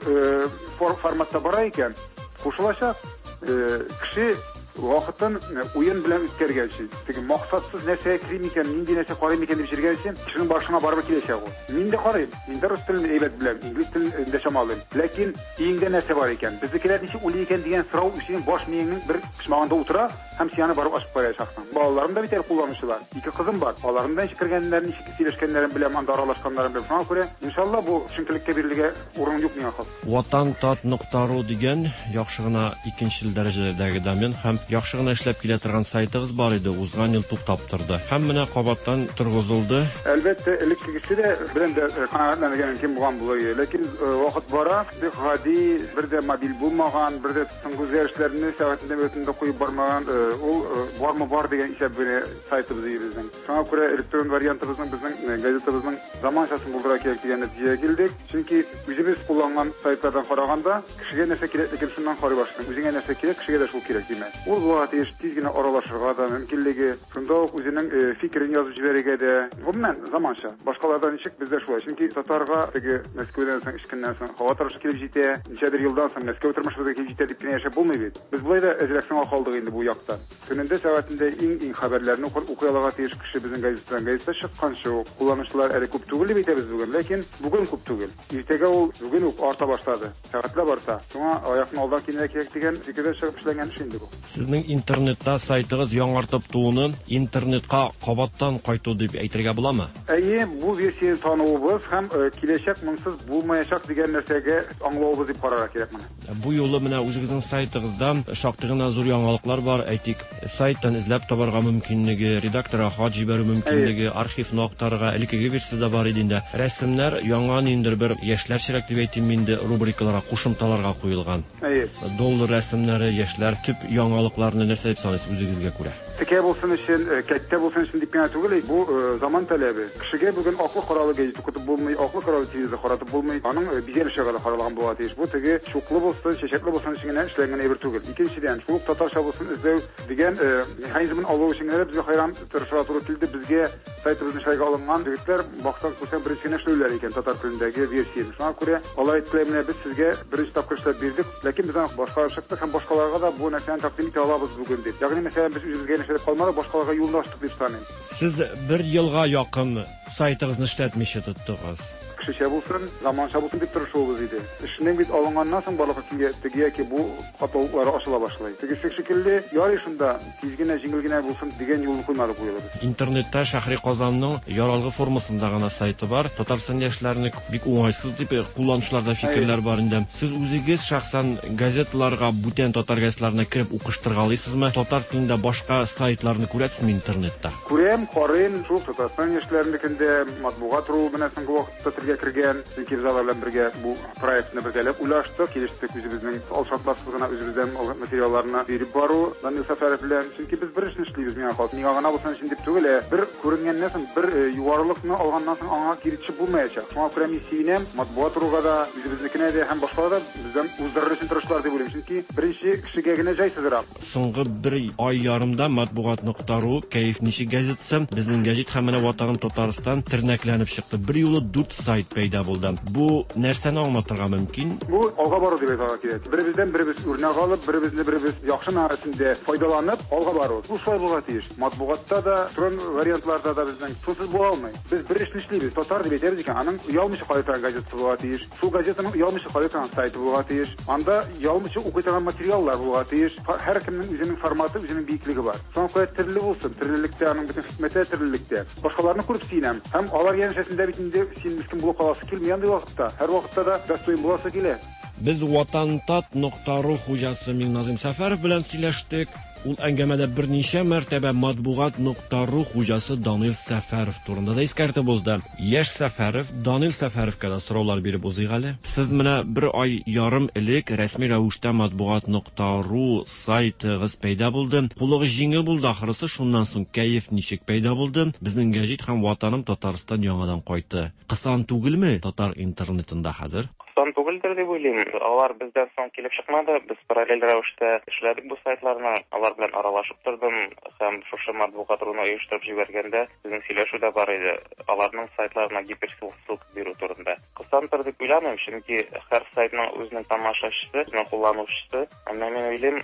Speaker 16: форматта бара икән, кушылачак. Кеше вакытын уен белән үткәргәнче, теге максатсыз нәрсәгә керим икән, нинди нәрсә карыйм икән дип йөргәнче, кешенең башына барып киләчәк ул. Мин дә карыйм, мин дә рус телен әйбәт беләм, инглиз телен дә чамалыйм. Ләкин өеңдә нәрсә бар икән, безнекеләр ничек уйлый икән дигән сорау синең баш миеңнең бер почмагында утыра һәм син аны барып ачып караячаксың. Балаларым да бит әле кулланучылар. Ике кызым бар. Аларның да ничек кергәннәрен, ничек сөйләшкәннәрен беләм, анда аралашканнарын беләм. Шуңа күрә, иншалла, бу төшенкелеккә бирелергә урын юк миңа хас.
Speaker 15: ватантат нокта ру дигән яхшы гына икенче дәрәҗәдәге домен һәм яхшы гына эшләп килә торган сайтыгыз бар иде, узган ел туктап торды. Һәм менә кабаттан торгызылды.
Speaker 16: Әлбәттә, элеккегесе дә белән дә канәгатьләнергә мөмкин булган булыр иде. Ләкин вакыт бара, бик гади, бер дә мобиль булмаган, бер дә соңгы үзгәрешләрне сәгатендә минутында куеп бармаган, ул бармы бар дигән исәп белән сайтыбыз иде безнең. Шуңа күрә электрон вариантыбызның безнең газетабызның заманчасын булдыра кирәк дигән нәтиҗәгә килдек. Чөнки үзебез кулланган сайтлардан караганда кешегә нәрсә кирәклеген шуннан карый башлыйсың. Үзеңә нәрсә кирәк, кешегә дә шул кирәк димәк. Ул булырга тиеш тиз генә аралашырга да мөмкинлеге, шунда ук үзенең фикерен язып җибәрергә дә. Гомумән, заманча. Башкалардан ничек, бездә шулай. Чөнки татарга теге Мәскәүдән соң, эшкеннән соң һава торышы килеп җитә, ничәдер елдан соң Мәскәү тормышы да килеп җитә дип кенә яшәп булмый бит. Без болай да әзрәк соңга калдык инде бу якта. Көнендә, сәгатендә иң-иң хәбәрләрне укый алырга тиеш кеше безнең газетадан. Газета чыкканчы ук кулланучылар әле күп түгел дип әйтәбез бүген, ләкин бүген күп түгел. Иртәгә ул бүген үк арта башлады. Сәгатьләп арта. Шуңа аякны алдан киңрәк кирәк дигән фикердән чыгып эшләнгән эш инде бу.
Speaker 15: Сезнең интернетта сайтыгыз яңартып тууны интернетка кабаттан кайту дип әйтергә буламы?
Speaker 16: Әйе, бу версияне тануыбыз һәм киләчәк монсыз булмаячак дигән нәрсәгә аңлавыбыз дип карарга кирәк моны.
Speaker 15: Бу юлы менә үзегезнең сайтыгызда шактый гына зур яңалыклар бар. Әйтик, сайттан эзләп табарга мөмкинлеге, редакторга хат җибәрү мөмкинлеге, архивны актарырга, элеккеге версияда бар иде инде. Рәсемнәр яңа ниндидер бер яшьләрчәрәк дип әйтим инде рубрикаларга, кушымталарга куелган.
Speaker 16: Әйе.
Speaker 15: Доллар рәсемнәре, яшьләр төп яңалыкларны нәрсә дип саныйсыз үзегезгә күрә?
Speaker 16: Текә булсын өчен, кәттә булсын өчен дип кенә түгел, бу заман таләбе. Кешегә бүген аклы каралы газет укытып булмый, аклы каралы телевизор каратып булмый. Аның бизәлеше генә каралган була тиеш. Бу теге чуклы булсын, чәчәкле булсын өчен генә эшләнгән әйбер түгел. Икенчедән, шул ук татарча булсын эзләү дигән механизмын алу өчен генә безгә хайран тырышырга туры килде. Безгә сайтыбызны эшләргә алынган егетләр баксаң күрсәң беренче генә эшләүләр икән татар телендәге версияне. Шуңа күрә алар әйттеләр, менә без сезгә беренче тапкыр эшләп бирдек, ләкин без аны башкарып чыктык һәм башкаларга да бу нәрсәне тәкъдим итә алабыз бүген дип. Ягъни мәсәлән, без үзебезгә эшләп калмадык, башкаларга юлны ачтык дип саныйм.
Speaker 15: Сез бер елга якын сайтыгызны эшләтмичә тоттыгыз.
Speaker 16: Кешечә булсын, заманча булсын дип тырышуыбыз иде. Эшнең бит алынганнан соң барлыкка килгән теге яки бу катлаулары ачыла башлый. Тегесе шикелле, ярый шунда тиз генә, җиңел генә булсын дигән юлны куймадык бу юлы.
Speaker 15: Интернетта Шәһри Казанның яралгы формасында гына сайты бар. Татарстан яшьләренең бик уңайсыз дип кулланучыларда фикерләр бар инде. Сез үзегез шәхсән газеталарга, бүтән татар газетларына кереп укыштыргалыйсызмы? Татар телендә башка сайтларны күрәсезме интернетта?
Speaker 16: Күрәм, карыйм, шул Татарстан яшьләренекендә матбугат ру менә соңгы вакытта телгә кергән, чөнки без алар белән бергә бу проектны бергәләп уйлаштык, килештек, үзебезнең алшартларсыз гына үзебездән алган материалларны биреп бару Данил Сәфәров белән. Чөнки без бер эшне эшлибез, миңа калса. Миңа гына булсын өчен дип түгел, ә бер күренгәннән соң, бер югарылыкны алганнан соң аңа кире төшеп булмаячак. Шуңа күрә мин сөенәм, матбугат руга да, үзебезнекенә дә һәм башкалар да бездән уздырыр өчен тырышлар дип уйлыйм. Чөнки беренче кешегә генә җайсызрак.
Speaker 15: Соңгы бер ай ярымда матбугат нокта ру, Кәеф ничек газетасы, безнең гәҗит һәм менә Ватаным Татарстан тернәкләнеп чыкты. Бер юлы дүрт сайт пәйда булды. Бу нәрсәне аңлатырга мөмкин?
Speaker 16: Бу алга бару дип әйтергә кирәк. Беребездән беребез үрнәк алып, беребезне беребез яхшы мәгънәсендә файдаланып алга бару. Бу шулай булырга тиеш. Матбугатта да, электрон вариантларда да безнең шунсыз була алмый. Без бер эшне эшлибез. Татар дип әйтәбез икән, аның оялмыйча карый торган газетасы булырга тиеш. Шул газетаның оялмыйча карый торган сайты булырга тиеш. Анда оялмыйча укый торган материаллар булырга тиеш. Һәркемнең үзенең форматы, үзенең биеклеге бар. Шуңа күрә төрле булсын. Төрлелектә аның бөтен хикмәте төрлелектә. Башкаларны күреп сөенәм. Һәм алар янәшәсендә бит инде син мискин булып каласы килми андый вакытта. Һәр вакытта да достоин буласы килә.
Speaker 15: Без Ватантат нокта ру хуҗасы Миңназим Сәфәров белән сөйләштек. Ул әңгәмәдә берничә мәртәбә матбугат нокта ру хуҗасы Данил Сәфәров турында да искәртеп узды. Яшь Сәфәров Данил Сәфәровка да сораулар биреп узыйк әле. Сез менә бер ай ярым элек рәсми рәвештә матбугат нокта ру сайтыгыз пәйда булды. Кулыгыз җиңел булды ахрысы, шуннан соң кәеф ничек пәйда булды? Безнең гәҗит һәм Ватаным Татарстан яңадан кайтты. Кысан түгелме татар интернетында хәзер?
Speaker 5: Кысан түгелдер дип уйлыйм. Алар бездән соң килеп чыкмады. Без параллель рәвештә эшләдек бу сайтларны. Алар белән аралашып тордым һәм шушы матбугат руны оештырып җибәргәндә безнең сөйләшү дә бар иде. Аларның сайтларына гиперссылка бирү турында. Кысандыр дип уйламыйм, чөнки һәр сайтның үзенең тамашачысы, үзенең кулланучысы. Әмма мин уйлыйм,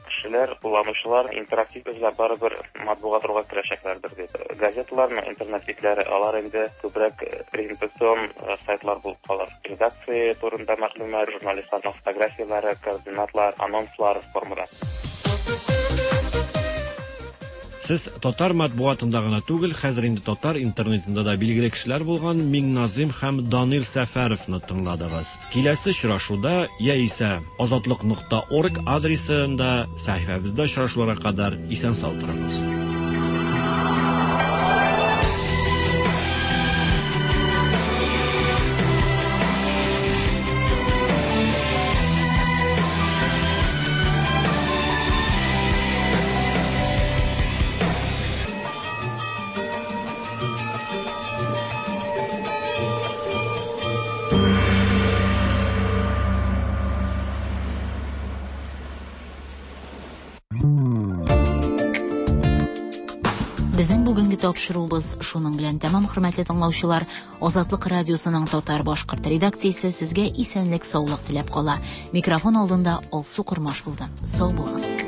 Speaker 5: кешеләр, кулланучылар интерактив эзләп барыбер матбугат руга керәчәкләрдер дип. Газеталарның интернет битләре, алар инде күбрәк презентацион сайтлар булып калыр. Редакция турында мәгълүмат, журналистларның фотографияләре, координатлар, анонслар формада.
Speaker 15: Сез татар матбугатында гына түгел, хәзер инде татар интернетында да билгеле кешеләр булган Миңназим һәм Данил Сәфәровны тыңладыгыз. Киләсе очрашуда яисә азатлык нокта орг адресында сәхифәбездә очрашуларга кадәр исән-сау торыгыз.
Speaker 17: Mm.
Speaker 2: Бүгенге тапшыруыбыз шуның белән тәмам, хөрмәтле тыңлаучылар. Азатлык радиосының татар башкорт редакциясе сезгә исәнлек, саулык теләп кала. Микрофон алдында Алсу Кормаш булды. Сау булыгыз.